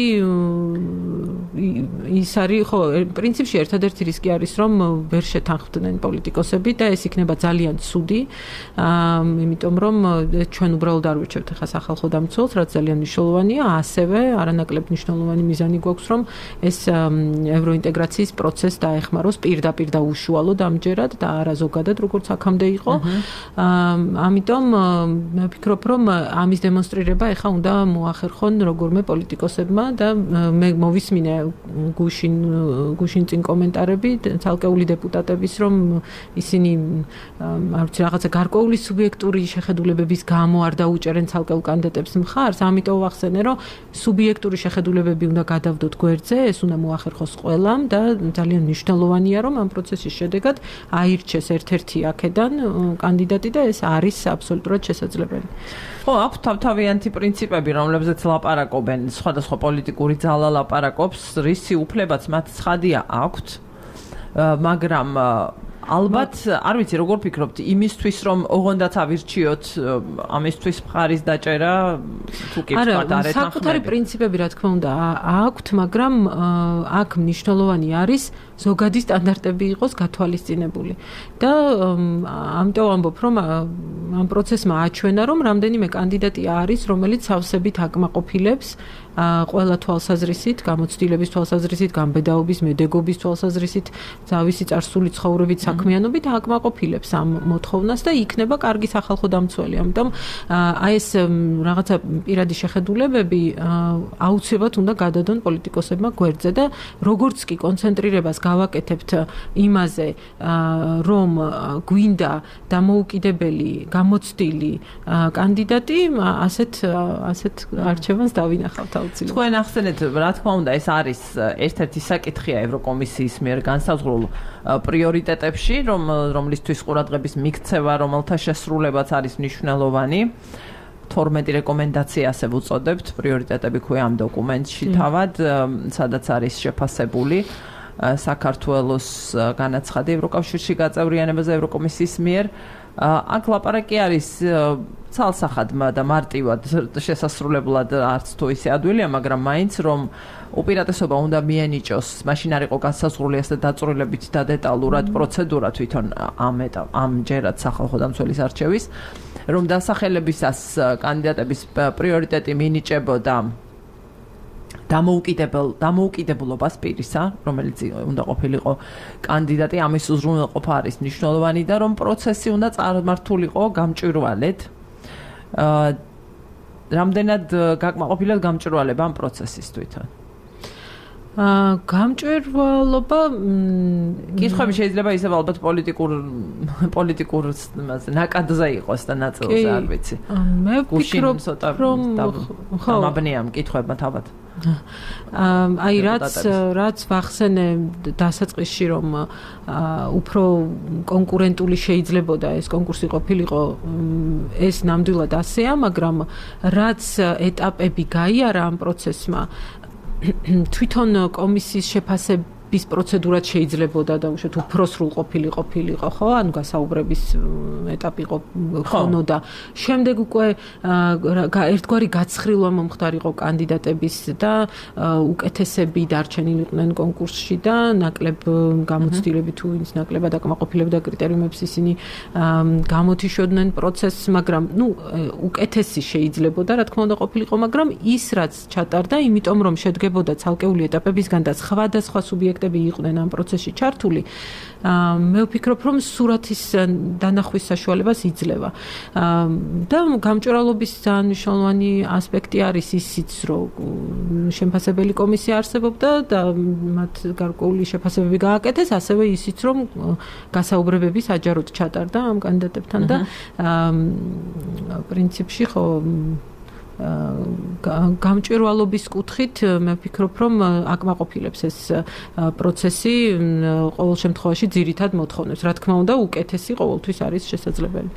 ის არის, ხო, პრინციპში ერთადერთი რისკი არის, რომ ვერ შეთანხმდნენ პოლიტიკოსები და ეს იქნება ძალიან ცუდი, იმიტომ რომ ჩვენ უბრალოდ არ ვირჩევთ ახლა სახალხო დამცველს, რაც ძალიან მნიშვნელოვანია. ასევე არანაკლებ მნიშვნელოვანი მიზანი გვაქვს, რომ ეს ევროინტეგრაციის პროცესს დაეხმაროს პირდაპირ და უშუალოდ ამჯერად და არა ზოგადად, როგორც აქამდე იყო. ამიტომ მე ვფიქრობ, რომ ამის დემონსტრირება ეხა უნდა მოახერხონ როგორმე პოლიტიკოსებმა და მე მოვისმინე გუშინ წინ კომენტარები ცალკეული დეპუტატების, რომ ისინი არ ვიცი რაღაცა გარკვეული სუბიექტური შეხედულებების გამო არ დაუჭერენ ცალკეულ კანდიდატებს მხარს, ამიტომ ვახსენე, რომ სუბიექტური შეხედულებები უნდა გადავდოთ გვერდზე, ეს უნდა მოახერხოს ყველამ და ძალიან მნიშვნელოვანია, რომ ამ პროცესის შედეგად აირჩეს ერთ-ერთი აქედან კანდიდატი და ეს არის აბსოლუტურად შესაძლებელი. ხო, აქვს თავთავიანთი პრინციპები, რომლებზეც ლაპარაკობენ, სხვადასხვა პოლიტიკური ძალა ლაპარაკობს, რისი უფლებაც მათ ცხადია აქვთ, მაგრამ ალბათ, არ ვიცი, როგორ ფიქრობთ, იმისთვის, რომ ოღონდაც ავირჩიოთ, ამისთვის მხარის დაჭერა, თუ კი ვთქვათ, არ ეთანხმება. საკუთარი პრინციპები, რა თქმა უნდა, აქვთ, მაგრამ აქ მნიშვნელოვანი არის ზოგადი სტანდარტები იყოს გათვალისწინებული. და ამიტომ ამბობ, რომ ამ პროცესმა აჩვენა, რომ რამდენიმე კანდიდატი არის, რომელიც სავსებით აკმაყოფილებს ყველა თვალსაზრისით, გამოცდილების თვალსაზრისით, გამბედაობის, მედეგობის თვალსაზრისით, თავისი წარსული ცხოვრებით, საქმიანობით აკმაყოფილებს ამ მოთხოვნას და იქნება კარგი სახალხო დამცველი. ამიტომ აი ეს რაღაცა პირადი შეხედულებები აუცილებლად უნდა გადადონ პოლიტიკოსებმა გვერდზე და როგორც კი კონცენტრირებას გავაკეთებთ იმაზე, რომ გვინდა დამოუკიდებელი, გამოცდილი კანდიდატი, ასეთ არჩევანს დავინახავთ აუცილებლად. თქვენ ახსენეთ, რა თქმა უნდა, ეს არის ერთ-ერთი საკითხია ევროკომისიის მიერ განსაზღვრულ პრიორიტეტებში, რომლისთვის ყურადღების მიქცევა, რომელთა შესრულებაც არის მნიშვნელოვანი. 12 რეკომენდაცია ასე ვუწოდებთ, პრიორიტეტები ქვია ამ დოკუმენტში თავად, სადაც არის შეფასებული საქართველოს განაცხადი ევროკავშირში გაწევრიანებაზე ევროკომისიის მიერ. აქ ლაპარაკი არის ცალსახად და მარტივად შესასრულებლად არც თუ ისე ადვილია, მაგრამ მაინც რომ უპირატესობა უნდა მიენიჭოს, მაშინ არ იყო განსაზღვრული ასე დაწვრილებით და დეტალურად პროცედურა თვითონ ამჯერად სახალხო დამცველის არჩევის, რომ დასახელებისას კანდიდატების პრიორიტეტი მინიჭებოდა დამოუკიდებლობას პირისა, რომელიც უნდა ყოფილიყო კანდიდატი, ამის უზრუნველყოფა არის მნიშვნელოვანი და რომ პროცესი უნდა წარმართულიყო გამჭვირვალედ. რამდენად გაკმაყოფილეთ გამჭვირვალება ამ პროცესის თვითონ? გამჭვირვალობა კითხვები შეიძლება ისევ ალბათ პოლიტიკურ ნაკადზე იყოს და ნაწილზე არ ვიცი. მე ვფიქრობ, რომ ამაბნიამ კითხვებმა თავად. აი რაც ვახსენე დასაწყისში, რომ უფრო კონკურენტული შეიძლებოდა ეს კონკურსი ყოფილიყო, ეს ნამდვილად ასეა, მაგრამ რაც ეტაპები გაიარა ამ პროცესმა, თვითონ კომისიის შეფასების პროცედურაც შეიძლებოდა და უშუალოდ უფრო სრულ ყოფილიყო, ხო? ანუ გასაუბრების ეტაპი ხონოდა. შემდეგ უკვე ერთგვარი გაცხრილვა მომხდარიყო კანდიდატების და უკეთესები დარჩენილიყვნენ კონკურსში და ნაკლებ გამოცდილები თუ ვინც ნაკლებად აკმაყოფილებდა კრიტერიუმებს ისინი გამოთიშოდნენ პროცესს, მაგრამ უკეთესი შეიძლებოდა, რა თქმა უნდა ყოფილიყო, მაგრამ ის რაც ჩატარდა, იმიტომ რომ შედგებოდა ცალკეული ეტაპებისგან და სხვადასხვა სუბიექტები იყვნენ ამ პროცესში ჩართული, მე ვფიქრობ, რომ სურათის დანახვის საშუალებას იძლევა. და გამჭვირვალობის ძალიან მნიშვნელოვანი ასპექტი არის ისიც, რომ შემფასებელი კომისია არსებობდა და მათ გარკვეული შეფასებები გააკეთეს, ასევე ისიც, რომ გასაუბრებები საჯაროდ ჩატარდა ამ კანდიდატებთან და პრინციპში ხო გამჭვირვალობის კუთხით მე ვფიქრობ, რომ აკმაყოფილებს ეს პროცესი ყოველ შემთხვევაში ძირითად მოთხოვნებს. რა თქმა უნდა, უკეთესი ყოველთვის არის შესაძლებელი.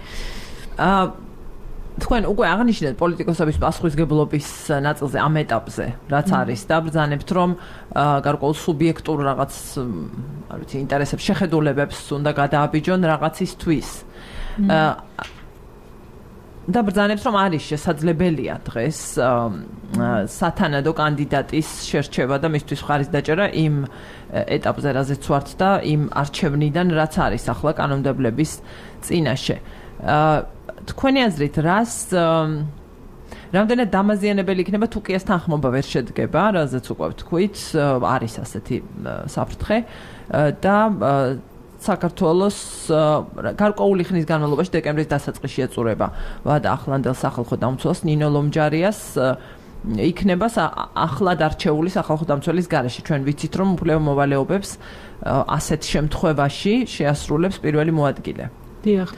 თქვენ უკვე აღნიშნეთ პოლიტიკოსების პასუხისგებლობის ნაწილზე ამ ეტაპზე, რაც არის, დაბრძანებთ, რომ გარკვეულ სუბიექტურ რაღაც, არ ვიცი, ინტერესებს, შეხედულებებს უნდა გადააბიჯონ რაღაცისთვის. დაბრძანებთ, რომ არის შესაძლებელია დღეს სათანადო კანდიდატის შერჩევა და მისთვის ხარის დაჭერა იმ ეტაპზე, რაზეც ვართ და იმ არჩევნიდან, რაც არის ახლა კანონმდებლობის წინაშე. თქვენი აზრით, რამდენად დამაზიანებელი იქნება თუ კი ეს თანხმობა ვერ შედგება, რაზეც უკვე ვთქვით, არის ასეთი საფრთხე და საქართველოს გარკვეული ხნის განმავლობაში დეკემბრის დასაწყისში ეწურება ვადა ახლანდელ სახალხო დამცველს ნინო ლომჯარიას იქნება ახლად არჩეული სახალხო დამცველის გარეშე. ჩვენ ვიცით, რომ უფლებო მოვალეობებს ასეთ შემთხვევაში შეასრულებს პირველი მოადგილე. დიახ.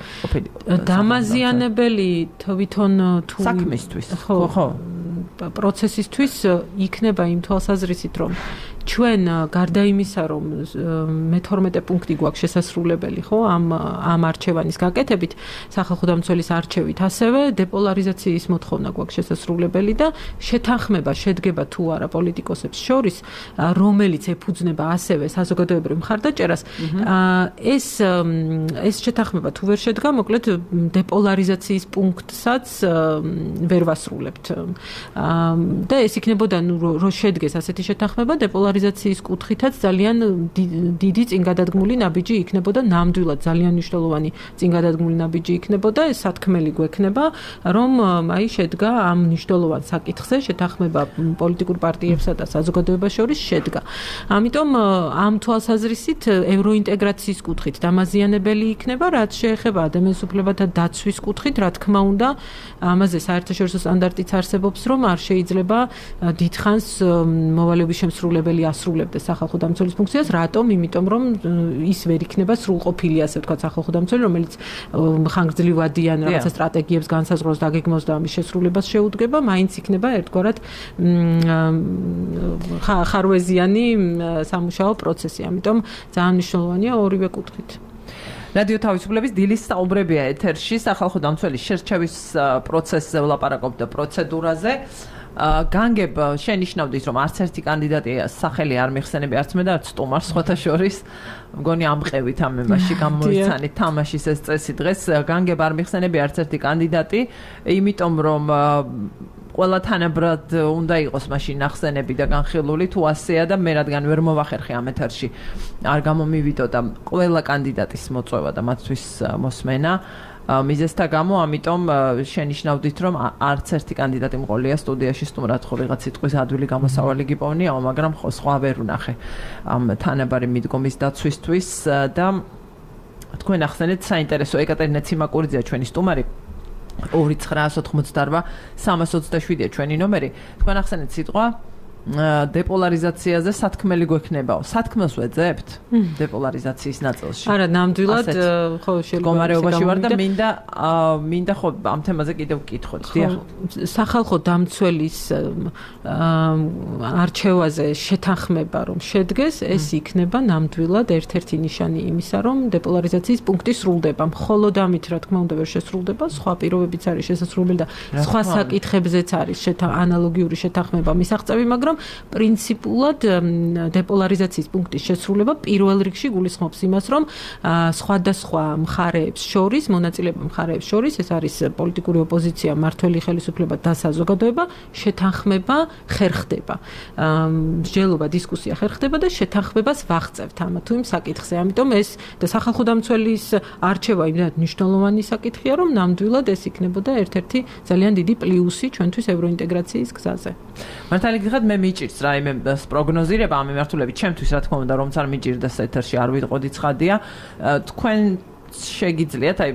დამაზიანებელი თვითონ თუ საქმისთვის. ხო. პროცესისთვის იქნება იმ თვალსაზრისით, რომ ჩვენ გარდა იმისა, რომ მე-12 პუნქტი გვაქვს შესასრულებელი, ხო, ამ არჩევანის გაკეთებით, სახალხო დამცველის არჩევით, ასევე დეპოლარიზაციის მოთხოვნა გვაქვს შესასრულებელი და შეთანხმება შედგება თუ არა პოლიტიკოსებს შორის, რომელიც ეფუძნება ასევე საზოგადოებრივ მხარდაჭერას, ეს შეთანხმება თუ ვერ შედგა, მოკლედ დეპოლარიზაციის პუნქტსაც ვერ ვასრულებთ. და ეს იქნებოდა, რომ შედგეს ასეთი შეთანხმება, დეპოლარიზაციის დეპოლარიზაციის კუთხითაც ძალიან დიდი წინგადადგმული ნაბიჯი იქნებოდა, ნამდვილად ძალიან მნიშვნელოვანი წინგადადგმული ნაბიჯი იქნებოდა, ეს სათქმელი გვექნება, რომ აი შედგა ამ მნიშვნელოვან საკითხზე შეთანხმება პოლიტიკურ პარტიებსა და საზოგადოებას შორის შედგა. ამიტომ ამ თვალსაზრისით ევროინტეგრაციის კუთხით დამაზიანებელი იქნება, რაც შეეხება ადამიანის უფლებათა დაცვის კუთხით, რა თქმა უნდა, ამაზე საერთაშორისო სტანდარტიც არსებობს, რომ არ შეიძლება დიდხანს მოვალეობის შემსრულებელი ასრულებდეს სახალხო დამცველის ფუნქციას, რატომ? იმიტომ რომ ის ვერ იქნება სრულყოფილი, ასე ვთქვათ, სახალხო დამცველი, რომელიც ხანგრძლივადიან რაღაცა სტრატეგიებს განსაზღვროს, დაგეგმოს და ამის შესრულებას შეუდგება, მაინც იქნება ერთგვარად ხარვეზიანი სამუშაო პროცესი. ამიტომ ძალიან მნიშვნელოვანია ორივე კუთხით. რადიო თავისუფლების დილის საუბრებია ეთერში, სახალხო დამცველის შერჩევის პროცესზე ვლაპარაკობთ და პროცედურაზე. განგებ შენიშნავდით, რომ არც ერთი კანდიდატი სახელი არ მიხსენები, არც მე და არც სტუმარს სხვათა შორის. მგონი ამყევით ამ ემაში გამოიცანით თამაშის ეს წესი დღეს. განგებ არ მიხსენები არც ერთი კანდიდატი, იმიტომ რომ ყველა თანაბრად უნდა იყოს მაშინ ნახსენები და განხილული, თუ ასეა და მე რადგან ვერ მოვახერხე ამ ეთერში არ გამომივიდო და ყველა კანდიდატის მოწვევა და მათთვის მოსმენა მიზესთა გამო, ამიტომ შენიშნავდით, რომ არც ერთი კანდიდატი მყოლია სტუდიაში, სტუმრად ხო ვიღაც სიტყვის ადვილი გამოსავალი გიპოვნიაო, მაგრამ ხო სხვა ვერ ვნახე ამ თანაბარი მიდგომის დაცვისთვის და თქვენ ახსენეთ საინტერესო ეკატერინე ციმაკურიძეა ჩვენი სტუმარი 2988-327-ია ჩვენი ნომერი. თქვენ ახსენეთ სიტყვა დეპოლარიზაციაზე სათქმელი გვექნებაო. სათქმელს ვეძებთ დეპოლარიზაციის ნაწილში. არა, ნამდვილად ხო შეიძლება მდგომარეობაში ვარ და მინდა ხო ამ თემაზე კიდევ ვკითხოთ. დიახ. სახალხო დამცველის არჩევაზე შეთანხმება რომ შედგეს, ეს იქნება ნამდვილად ერთ-ერთი ნიშანი იმისა, რომ დეპოლარიზაციის პუნქტი სრულდება. მხოლოდ ამით, რა თქმა უნდა, ვერ შესრულდება, სხვა პირობებიც არის შესაძლებელი და სხვა საკითხებზეც არის ანალოგიური შეთანხმება მისაღწევი, მაგრამ პრინციპულად დეპოლარიზაციის პუნქტის შესრულება პირველ რიგში გულისხმობს იმას, რომ სხვადასხვა მხარეებს შორის, მონაწილეობრივ მხარეებს შორის, ეს არის პოლიტიკური ოპოზიცია, მმართველი ხელისუფლება და საზოგადოება, შეთანხმება ხერხდება. მსჯელობა, დისკუსია ხერხდება და შეთანხმებას ვაღწევთ ამ თუ იმ საკითხზე. ამიტომ ეს და სახალხო დამცველის არჩევა იმდენად მნიშვნელოვანი საკითხია, რომ ნამდვილად ეს იქნებოდა ერთ-ერთი ძალიან დიდი პლუსი ჩვენთვის ევროინტეგრაციის გზაზე. მართალი გიხად მე მიჭირს რაიმე პროგნოზირება ამ მიმართულებით, ჩემთვის რა თქმა უნდა, რომც არ მიჭირდეს ეთერში არ ვიტყოდი ცხადია. თქვენ შეგიძლიათ, აი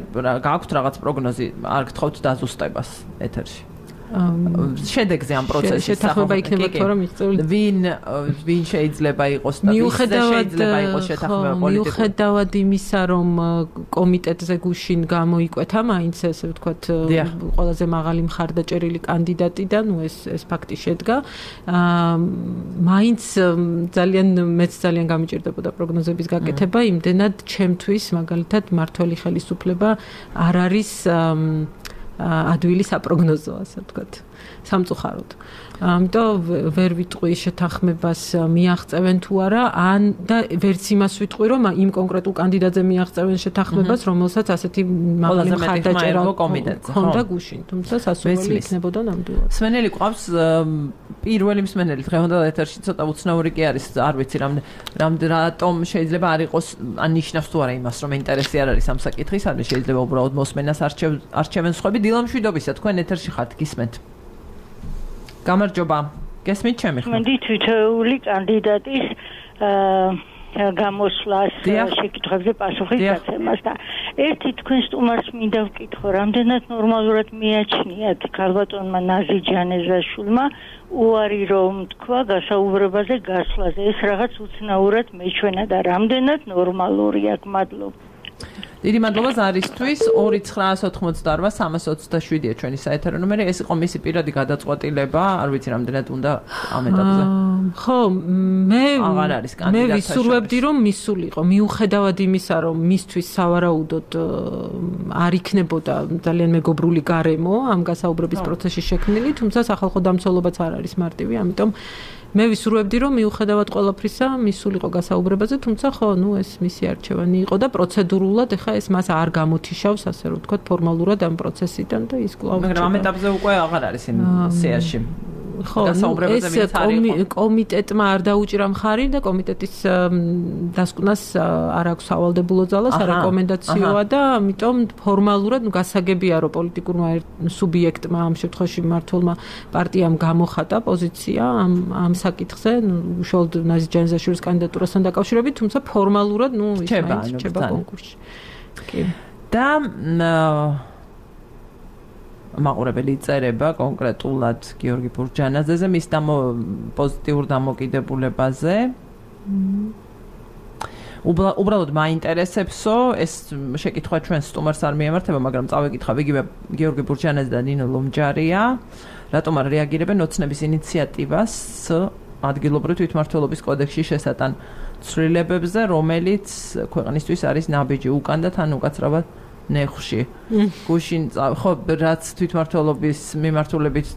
გააქვთ რაღაც პროგნოზი, არ გთხოვთ დაზუსტებას ეთერში. შედეგზე ამ პროცესში შეთანხმება იქნება თუ არა მიღწეული. ვინ შეიძლება იყოს და შეიძლება იყოს შეთანხმება პოლიტიკური. მიუხედავად იმისა, რომ კომიტეტზე გუშინ გამოიკვეთა მაინც ესე ვთქვათ ყველაზე მაღალი მხარდაჭერილი კანდიდატი და ნუ ეს ფაქტი შედგა. მაინც მეც ძალიან გამიჭირდებოდა პროგნოზების გაკეთება, იმდენად ჩემთვის მაგალითად მმართველი ხელისუფლება არ არის ადვილი საპროგნოზო, ასე ვთქვათ, სამწუხაროდ. ამიტომ ვერ ვიტყვი შეთანხმებას მიაღწევენ თუ არა, ან და ვერც იმას ვიტყვი, რომ იმ კონკრეტულ კანდიდატზე მიაღწევენ შეთანხმებას, რომელსაც ასეთი მაღალი მხარდაჭერა ჰქონდა გუშინ, თუმცა სასურველი იქნებოდა ნამდვილად. მსმენელი ყავს, პირველი მსმენელი დღევანდელ ეთერში ცოტა უცნაური კი არის, არ ვიცი რატომ შეიძლება არ იყოს, ან ნიშნავს თუ არა იმას, რომ ინტერესი არ არის ამ საკითხის, ან შეიძლება უბრალოდ მოსმენას არჩევენ სხვები. დილა მშვიდობისა, თქვენ ეთერში ხართ, გისმენთ. გამარჯობა. გესმით ჩემი ხმა? მე თითოეული კანდიდატის გამოსვლას შეკითხვებზე პასუხის გაცემას და ერთი თქვენ სტუმარს მინდა ვკითხო, რამდენად ნორმალურად მიაჩნიათ ქალბატონმა ნაზი ჯანეზაშვილმა უარი რომ თქვა გასაუბრებაზე გასვლაზე, ეს რაღაც უცნაურად მეჩვენა და რამდენად ნორმალურია, მადლობა. დიდი მადლობა ზარისთვის. 2988-327-ია ჩვენი საეთერო ნომერი. ეს იყო მისი პირადი გადაწყვეტილება, არ ვიცი რამდენად უნდა ამ ეტაპზე. ხო, მე ვისურვებდი რომ მისულიყო, მიუხედავად იმისა, რომ მისთვის სავარაუდოდ არ იქნებოდა ძალიან მეგობრული გარემო ამ გასაუბრების პროცესში შექმნილი, თუმცა სახალხო დამცველობაც არ არის მარტივი, ამიტომ მე ვისურვებდი რომ მიუხედავად ყველაფრისა მისულიყო გასაუბრებაზე, თუმცა ხო, ნუ ეს მისი არჩევანი იყო და პროცედურულად ეხა ეს მას არ გამოთიშავს, ასე რომ ვთქვათ, ფორმალურად ამ პროცესიდან და ის კვლავ. მაგრამ ამ ეტაპზე უკვე აღარ არის იმ სიაში. ეს კომიტეტმა არ დაუჭირა მხარი და კომიტეტის დასკვნას არ აქვს სავალდებულო ძალას, არეკომენდაციოა და ამიტომ ფორმალურად გასაგებია რომ პოლიტიკურმა სუბიექტმა ამ შემთხვევაში მმართველმა პარტიამ გამოხატა პოზიცია ამ საკითხზე, უშუალოდ ნაზი ჯანაზაშვილის კანდიდატურასთან დაკავშირებით, თუმცა ფორმალურად ის რჩება კონკურსში. კი. და მაყურებელი წერება კონკრეტულად გიორგი ბურჯანაძეზე მის პოზიტიურ დამოკიდებულებაზე. უბრალოდ მაინტერესებსო, ეს შეკითხვა ჩვენ სტუმარს არ მიემართება, მაგრამ წავეკითხავ იგივე გიორგი ბურჯანაძე და ნინო ლომჯარია, რატომ არ რეაგირებენ ოცნების ინიციატივას ადგილობრივი თვითმმართველობის კოდექსში შესატან ცვლილებებზე, რომელიც ქვეყნისთვის არის ნაბიჯი უკან და თან უკაცრავად ნეხში. გუშინ ხო რაც თვითმმართველობის მიმართულებით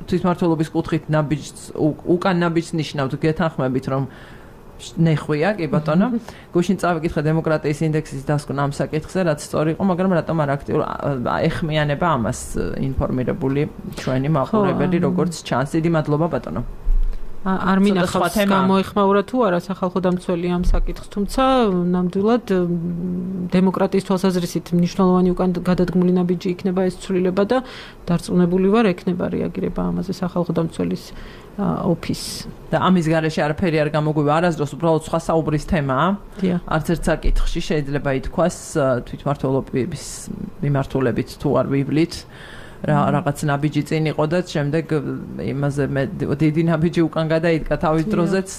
თვითმმართველობის კუთხით ნაბიჯს უკან ნაბიჯს ნიშნავთ გეთანხმებით რომ ნეხვია, კი ბატონო. გუშინ წავიკითხე დემოკრატიის ინდექსის დასკვნა ამ საკითხზე, რაც სწორი იყო, მაგრამ რატომ არ ეხმიანება ამას ინფორმირებული ჩვენი მაყურებელი, როგორც ჩანს. დიდი მადლობა ბატონო. არ მინახავს გამოეხმაურა თუ არა სახალხო დამცველი ამ საკითხს, თუმცა ნამდვილად დემოკრატიის თვალსაზრისით მნიშვნელოვანი უკან გადადგმული ნაბიჯი იქნება ეს ცვლილება და დარწმუნებული ვარ ექნება რეაგირება ამაზე სახალხო დამცველის ოფისს. და ამის გარეშე არაფერი არ გამოგვივა არასდროს, უბრალოდ სხვა საუბრის თემაა. არც ერთ საკითხში შეიძლება ითქვას თვითმმართველობის მიმართულებით თუ არ ვივლით. რაღაც ნაბიჯი წინ იყო და შემდეგ იმაზე დიდი ნაბიჯი უკან გადაიდგა თავის დროზეც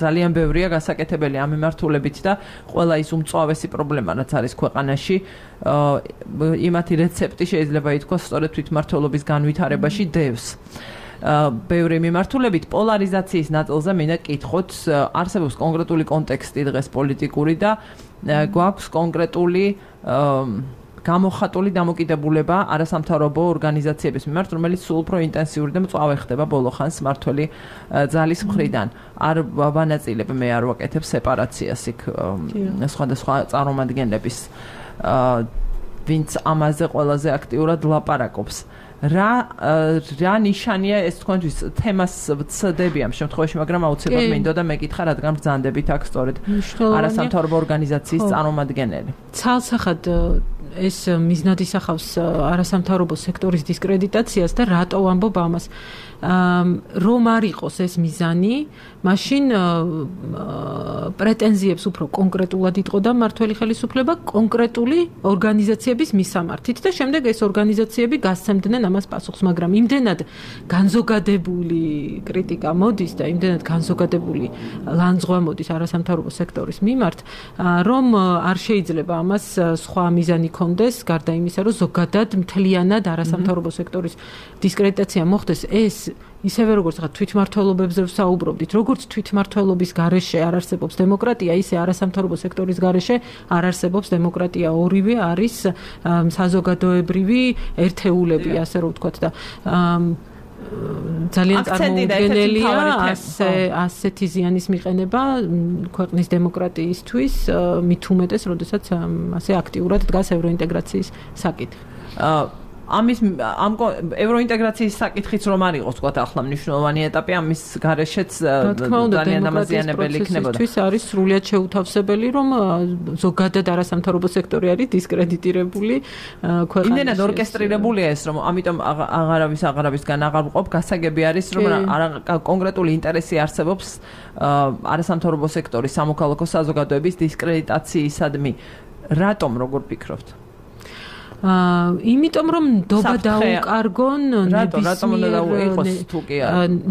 ძალიან ბევრია გასაკეთებელი ამ მიმართულებით და ყველა ის უმწვავესი პრობლემა რაც არის ქვეყანაში იმათი რეცეპტი შეიძლება ითქვას სწორედ თვითმმართველობის განვითარებაში დევს. ბევრი მიმართულებით პოლარიზაციის ნაწილზე მინდა კითხოთ, არსებობს კონკრეტული კონტექსტი დღეს პოლიტიკური და გვაქვს კონკრეტული გამოხატული დამოკიდებულება არასამთავრობო ორგანიზაციების მიმართ, რომელიც სულ უფრო ინტენსიური და მწვავე ხდება ბოლო ხანს მმართველი ძალის მხრიდან. არ ვანაწილებ მე არ ვაკეთებ სეპარაციას იქ სხვადასხვა წარმომადგენლების ვინც ამაზე ყველაზე აქტიურად ლაპარაკობს. რა ნიშანია ეს თქვენთვის თემას ვცდები ამ შემთხვევაში, მაგრამ აუცილებლად მინდოდა მეკითხა, რადგან ბრძანდებით აქ სწორედ არასამთავრობო ორგანიზაციის წარმომადგენელი. ცალსახად ეს მიზნად ისახავს არასამთავრობო სექტორის დისკრედიტაციას და რატო ვამბობ ამას? რომ არ იყოს ეს მიზანი, მაშინ პრეტენზიებს უფრო კონკრეტულად იტყოდა მმართველი ხელისუფლება კონკრეტული ორგანიზაციების მისამართით და შემდეგ ეს ორგანიზაციები გასცემდნენ ამას პასუხს, მაგრამ იმდენად განზოგადებული კრიტიკა მოდის და იმდენად განზოგადებული ლანძღვა მოდის არასამთავრობო სექტორის მიმართ, რომ არ შეიძლება ამას სხვა მიზანი კონდეს, გარდა იმისა, რომ ზოგადად მთლიანად არასამთავრობო სექტორის დისკრედიტაცია მოხდეს. ეს ისევე როგორც თვითმმართველობებზე ვსაუბრობდით, როგორც თვითმმართველობის გარეშე არ არსებობს დემოკრატია, ისე არასამთავრობო სექტორის გარეშე არ არსებობს დემოკრატია. ორივე არის საზოგადოებრივი ერთეულები, ასე რომ ვთქვათ და ძალიან წარმოუდგენელია ასეთი ზიანის მიყენება ქვეყნის დემოკრატიისთვის, მით უმეტეს, როდესაც ასე აქტიურად დგას ევროინტეგრაციის საკითხი. ამის ამ ევროინტეგრაციის საკითხიც რომ არ იყოს, თქვათ, ახლა მნიშვნელოვანი ეტაპი, ამის გარეშეც ძალიან დამაზიანებელი იქნებოდა. ის არის სრულიად შეუთავსებელი, რომ ზოგადად არასამთავრობო სექტორი არის დისკრედიტირებული ქვეყანაში. იმდენად ორკესტრირებულია ეს, რომ ამიტომ აღარავისგან აღარ ვყოფ, გასაგები არის, რომ კონკრეტული ინტერესი არსებობს არასამთავრობო სექტორის სამოქალაქო საზოგადოების დისკრედიტაციისადმი. რატომ, როგორ ფიქრობთ? იმიტომ რომ ნდობა დაუკარგონ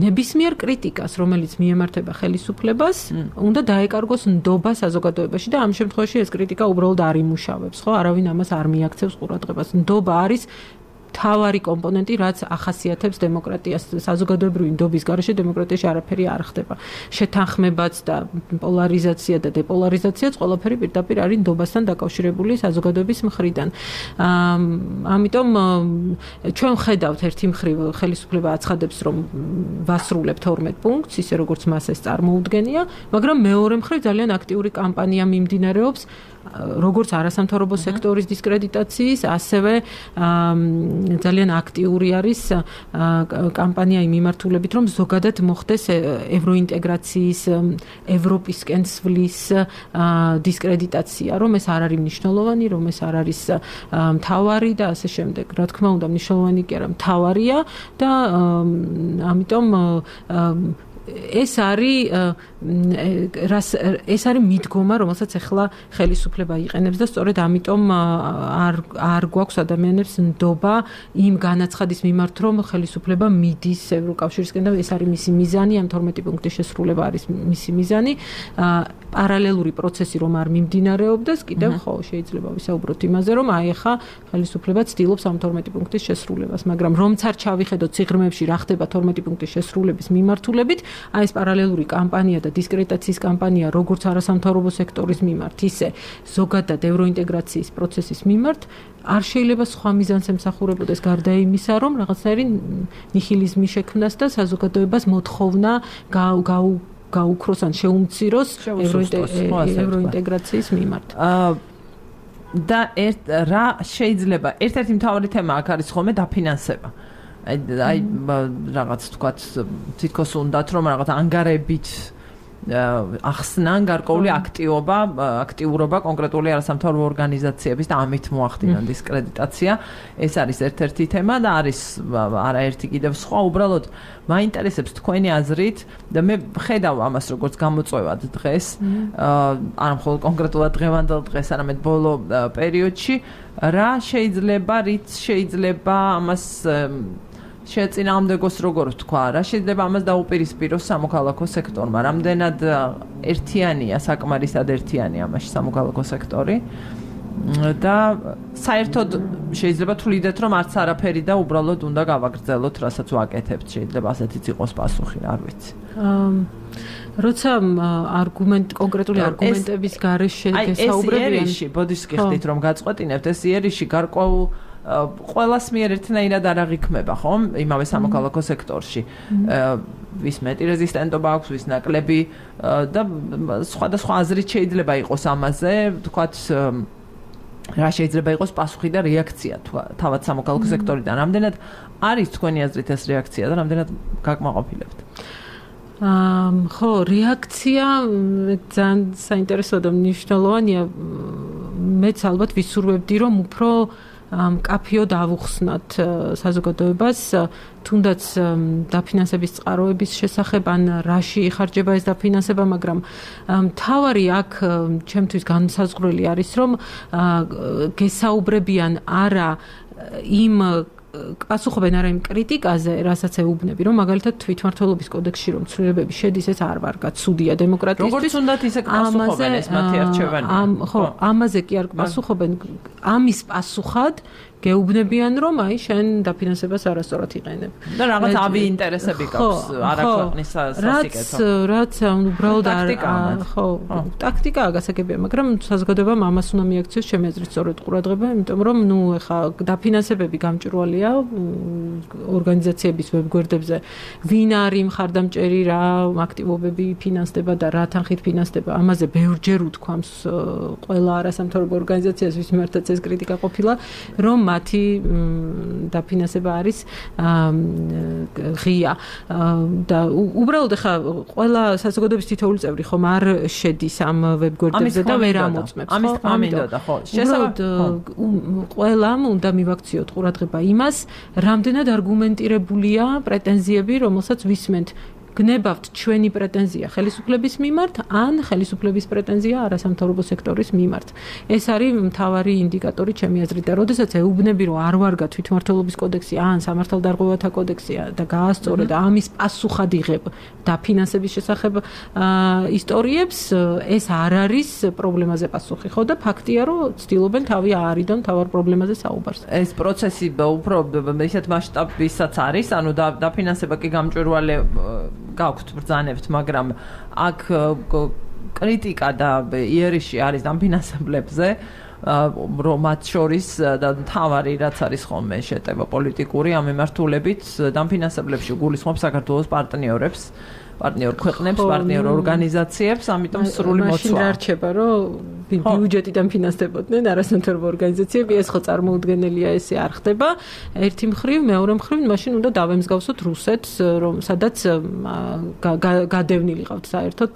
ნებისმიერ კრიტიკას, რომელიც მიემართება ხელისუფლებას, უნდა დაეკარგოს ნდობა საზოგადოებაში და ამ შემთხვევაში ეს კრიტიკა უბრალოდ არ იმუშავებს, ხო? არავინ ამას არ მიაქცევს ყურადღებას. ნდობა არის თავარი კომპონენტი, რაც ახასიათებს დემოკრატიას. საზოგადოებრივი ნდობის გარეშე დემოკრატიაში არაფერი არ ხდება. შეთანხმებაც და პოლარიზაცია და დეპოლარიზაციაც ყველაფერი პირდაპირ არის ნდობასთან დაკავშირებული საზოგადოების მხრიდან. ამიტომ ჩვენ ხედავთ ერთი მხრივ ხელისუფლება აცხადებს, რომ ვასრულებთ 12 პუნქტს, ისე როგორც მას ეს წარმოუდგენია, მაგრამ მეორე მხრივ ძალიან აქტიური კამპანია მიმდინარეობს როგორც არასამთავრობო სექტორის დისკრედიტაციის, ასევე ძალიან აქტიური არის კამპანია იმ მიმართულებით, რომ ზოგადად მოხდეს ევროინტეგრაციის, ევროპისკენ სვლის დისკრედიტაცია, რომ ეს არ არის მნიშვნელოვანი, რომ ეს არ არის მთავარი და ასე შემდეგ. რა თქმა უნდა, მნიშვნელოვანი კი არა, მთავარია და ამიტომ ეს არის მიდგომა, რომელსაც ახლა ხელისუფლება იყენებს და სწორედ ამიტომ არ გვაქვს ადამიანებს ნდობა იმ განაცხადის მიმართ, რომ ხელისუფლება მიდის ევროკავშირისკენ და ეს არის მისი მიზანი, ამ 12 პუნქტის შესრულება არის მისი მიზანი. პარალელური პროცესი რომ არ მიმდინარეობდეს, კიდევ ხო შეიძლება ვისაუბროთ იმაზე, რომ აი ახლა ხელისუფლება ცდილობს ამ 12 პუნქტის შესრულებას, მაგრამ რომც არ ჩავიხედოთ ციგრმეებში რა ხდება 12 პუნქტის შესრულების მიმართულებით, აი ეს პარალელური კამპანია და დისკრედიტაციის კამპანია როგორც არასამთავრობო სექტორის მიმართ, ისე ზოგადად ევროინტეგრაციის პროცესის მიმართ არ შეიძლება სხვა მიზანს ემსახურებოდეს გარდა იმისა, რომ რაღაცნაირი ნიჰილიზმი შექმნას და საზოგადოებას მოთხოვნა გაუქროს ან შეუმციროს ევროინტეგრაციის მიმართ. და რა შეიძლება ერთ-ერთი მთავარი თემა აქ არის ხოლმე დაფინანსება. აი რაღაც თქვათ თითქოს უნდათ რომ რაღაც ანგარებით ახსნან გარკვეული აქტიურობა კონკრეტული არასამთავრობო ორგანიზაციების და ამით მოახდინონ დისკრედიტაცია. ეს არის ერთ-ერთი თემა და არის არაერთი კიდევ სხვა. უბრალოდ მაინტერესებს თქვენი აზრით და მე ხედავ ამას როგორც გამოწვევად დღეს, არა მხოლოდ კონკრეტულად დღევანდელ დღეს, არამედ ბოლო პერიოდში, რა შეიძლება ამას შეეწინააღმდეგოს როგორ ვთქვა, რა შეიძლება ამას დაუპირისპიროს სამოქალაქო სექტორმა, რამდენად ერთიანია, საკმარისად ერთიანია ამაში სამოქალაქო სექტორი და საერთოდ შეიძლება თვლიდეთ, რომ არც არაფერი და უბრალოდ უნდა გავაგრძელოთ, რასაც ვაკეთებთ, შეიძლება ასეთიც იყოს პასუხი, არ ვიცი. როცა კონკრეტული არგუმენტების გარეშე გესაუბრებიან, ეს იერიში, ბოდიშს გიხდით რომ გაწყვეტინებთ, ეს იერიში გარკვეულ ყველას მიერ ერთნაირად არ აღიქმება, ხომ? იმავე სამოქალაქო სექტორში. ვის მეტი რეზისტენტობა აქვს, ვის ნაკლები და სხვადასხვა აზრით შეიძლება იყოს ამაზე, თქვათ რა შეიძლება იყოს პასუხი და რეაქცია თავად სამოქალაქო სექტორიდან. რამდენად არის თქვენი აზრით ეს რეაქცია და რამდენად გაკმაყოფილებთ? ხო, რეაქცია ძალიან საინტერესო და მნიშვნელოვანია. მეც ალბათ ვისურვებდი, რომ უფრო კაფეოდ ავუხსნათ საზოგადოებას, თუნდაც დაფინანსების წყაროების შესახებ ან რაში იხარჯება ეს დაფინანსება, მაგრამ მთავარი აქ ჩემთვის განსაზღვრელი არის, რომ გესაუბრებიან არა იმ პასუხობენ არა იმ კრიტიკაზე, რასაც ეუბნები, რომ მაგალითად თვითმმართველობის კოდექსში რომ ცვლილებები შედის, ეს არ ვარ გაცუდია დემოკრატიისთვის. როგორც უნდათ ისე პასუხობენ ეს მათი არჩევანი. ხო, ამაზე კი არ პასუხობენ, ამის პასუხად გეუბნებიან, რომ აი შენ დაფინანსებას არასწორად იყენებ. და რაღაც ავი ინტერესები გაქვს, არა ქვეყნის სასიკეთო. რაც უბრალოდ ხო, ტაქტიკაა გასაგებია, მაგრამ საზოგადოებამ ამას უნდა მიაქციოს ჩემი აზრით სწორედ ყურადღება, იმიტომ რომ ეხა დაფინანსებები გამჭვირვალეა ორგანიზაციების ვებგვერდებზე. ვინ არის მხარდამჭერი, რა აქტივობები ფინანსდება და რა თანხით ფინანსდება, ამაზე ბევრჯერ უთქვამს ყველა არასამთავრობო ორგანიზაციას, ვის მიმართაც ეს კრიტიკა ყოფილა, რომ მათი დაფინანსება არის ღია და უბრალოდ ახლა ყველა საზოგადოების თითოეული წევრი ხომ არ შედის ამ ვებგვერდებზე და ვერ ამოწმებს, ხო? ამინდოდა, ხო. შესაბამისად ყველამ უნდა მივაქციოთ ყურადღება იმას, რამდენად არგუმენტირებულია პრეტენზიები, რომელსაც ვისმენთ. გნებავთ ჩვენი პრეტენზია ხელისუფლების მიმართ, ან ხელისუფლების პრეტენზია არასამთავრობო სექტორის მიმართ. ეს არის მთავარი ინდიკატორი ჩემი აზრით და როდესაც ეუბნები, რომ არ ვარგა თვითმმართველობის კოდექსი, ან სამართალდარღვევათა კოდექსია და გაასწორე და ამის პასუხად იღებ დაფინანსების შესახებ ისტორიებს, ეს არ არის პრობლემაზე პასუხი, ხო და ფაქტია, რომ ცდილობენ თავი აარიდონ თავარ პრობლემაზე საუბარს. ეს პროცესი უფრო ისეთ მასშტაბისაც არის, ანუ დაფინანსება კი გამჭვირვალე გაქვთ ბრძანებთ, მაგრამ აქ კრიტიკა და იერიში არის დაფინანსებლებზე, რომ მათ შორის და თავარი რაც არის ხოლმე შეტევა პოლიტიკური ამ მიმართულებით დაფინანსებლებში გულისხმობს საქართველოს პარტნიორ ქვეყნებს, პარტნიორ ორგანიზაციებს, ამიტომ სრული მოწვა. მაშინ რა რჩება, რომ ბიუჯეტიდან ფინანსდებოდნენ არასამთავრობო ორგანიზაციები, ეს ხო წარმოუდგენელია, ესე არ ხდება. ერთი მხრივ, მეორე მხრივ, მაშინ უნდა დავემსგავსოთ რუსეთს, სადაც გადევნილი ყავთ საერთოდ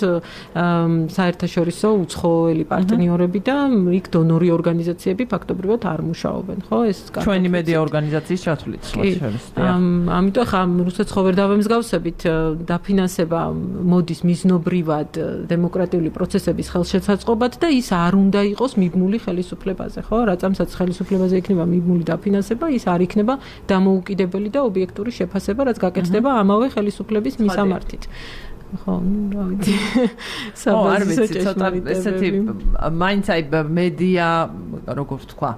საერთაშორისო უცხოელი პარტნიორები და იქ დონორი ორგანიზაციები ფაქტობრივად არ მუშაობენ, ხო? ეს ჩვენი მედია ორგანიზაციის ჩათვლით შორის. ამიტომ ხა რუსეთს ხო ვერ დავემსგავსებით, დაფინანსება მოდის მიზნობრივად დემოკრატიული პროცესების ხელშეცაწყობად და ის არ უნდა იყოს მიბმული ხელისუფლებაზე, ხო? რატომაც ხელისუფლებაზე იქნება მიბმული დაფინანსება, ის არ იქნება დამოუკიდებელი და ობიექტური შეფასება, რაც გაკეთდება ამავე ხელისუფლების მისამართით. ხო, რა ვიცი. არ ვიცი, ცოტა ესეთი მაინც აი მედია, როგორ ვთქვა,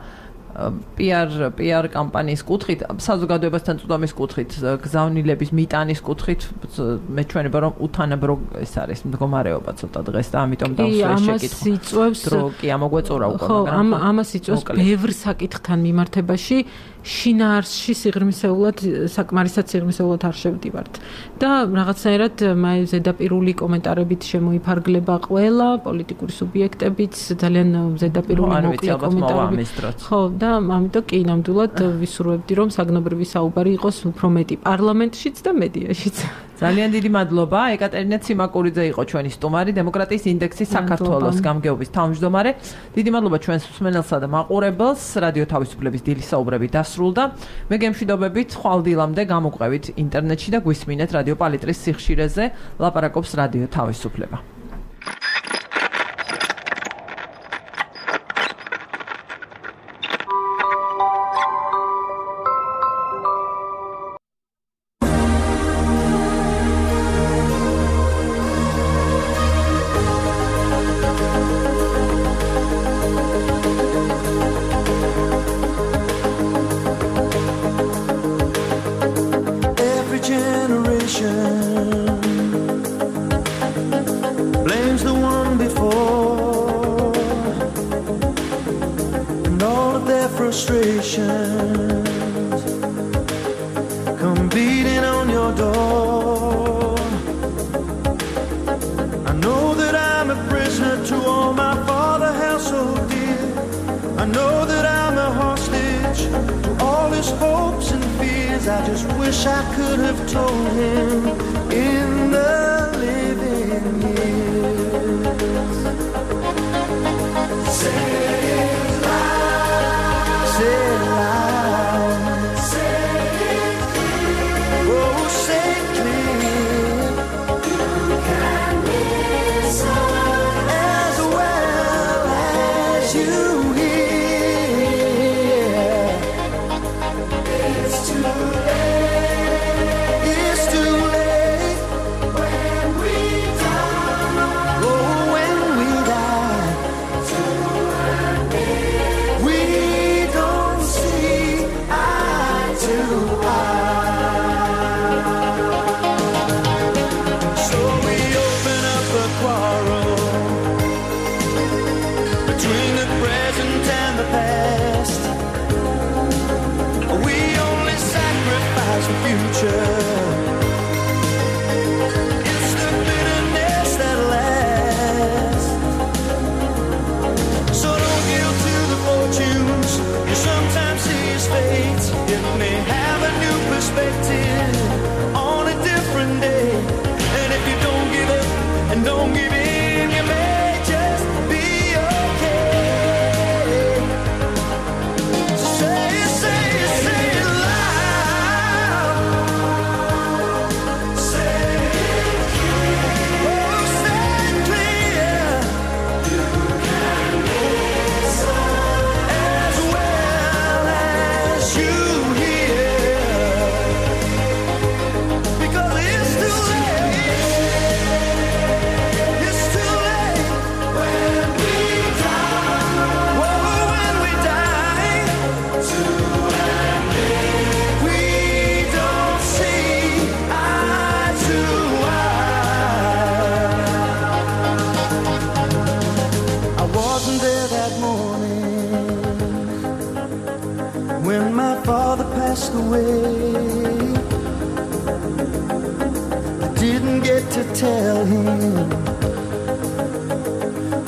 PR კამპანიის კუთხით, საზოგადოებასთან წვდომის კუთხით, გზავნილების მიტანის კუთხით, მეჩვენება რომ უთანაბრო ეს არის მდგომარეობა ცოტა დღეს და ამიტომ დავსვეს შეკითხვა. დრო კი ამოგვეწურა უკვე, მაგრამ ამას იწვევს ბევრ საკითხთან მიმართებაში შინაარსში სიღრმისეულად, საკმარისად სიღრმისეულად არ შევდივართ. და რაღაცნაირად ზედაპირული კომენტარებით შემოიფარგლება ყველა პოლიტიკური სუბიექტებიც, ძალიან ზედაპირული მოკლე კომენტარები. ხო, და ამიტომ კი ნამდვილად ვისურვებდი, რომ საგნობრივი საუბარი იყოს უფრო მეტი პარლამენტშიც და მედიაშიც. ძალიან დიდი მადლობა. ეკატერინე ციმაკურიძე იყო ჩვენი სტუმარი, დემოკრატიის ინდექსის საქართველოს გამგეობის თავმჯდომარე. დიდი მადლობა ჩვენს მსმენელსა და მაყურებელს. რადიო თავისუფლების დილის საუბრები დასრულდა. მე გემშვიდობებით ხვალ დილამდე გამოგვყევით ინტერნეტში და გვისმინეთ რადიო პალიტრის სიხშირეზე. ლაპარაკობს რადიო თავისუფლება.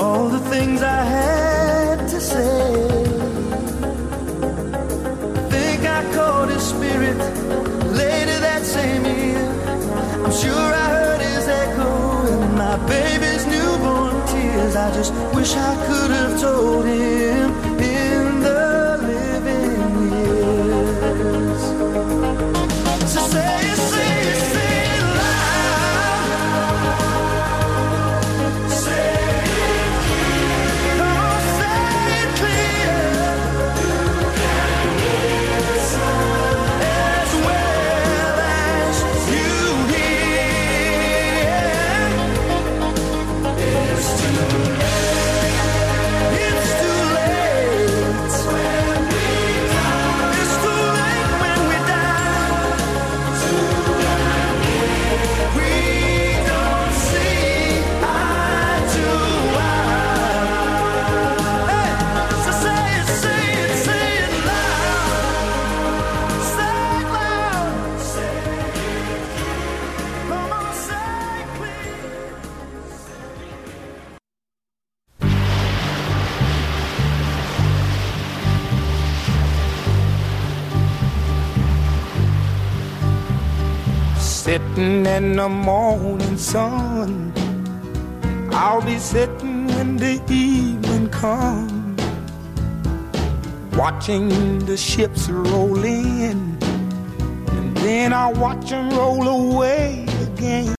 all the things I had to say. Think I caught his spirit later that same year. I'm sure I heard his echo in my baby's newborn tears. I just wish I could have told him in the living years. So say it, say it, say it loud. Say it clear. Come on, say it clear. As well as you hear. It's too late. It's too late when we die. It's too late when we die. We don't see eye to eye. Hey, so say it, say it, say it loud. Say it loud. Say it clear. Come on, say it clear. Sitting in the morning sun, I'll be sitting when the evening comes, watching the ships roll in, and then I'll watch them roll away again.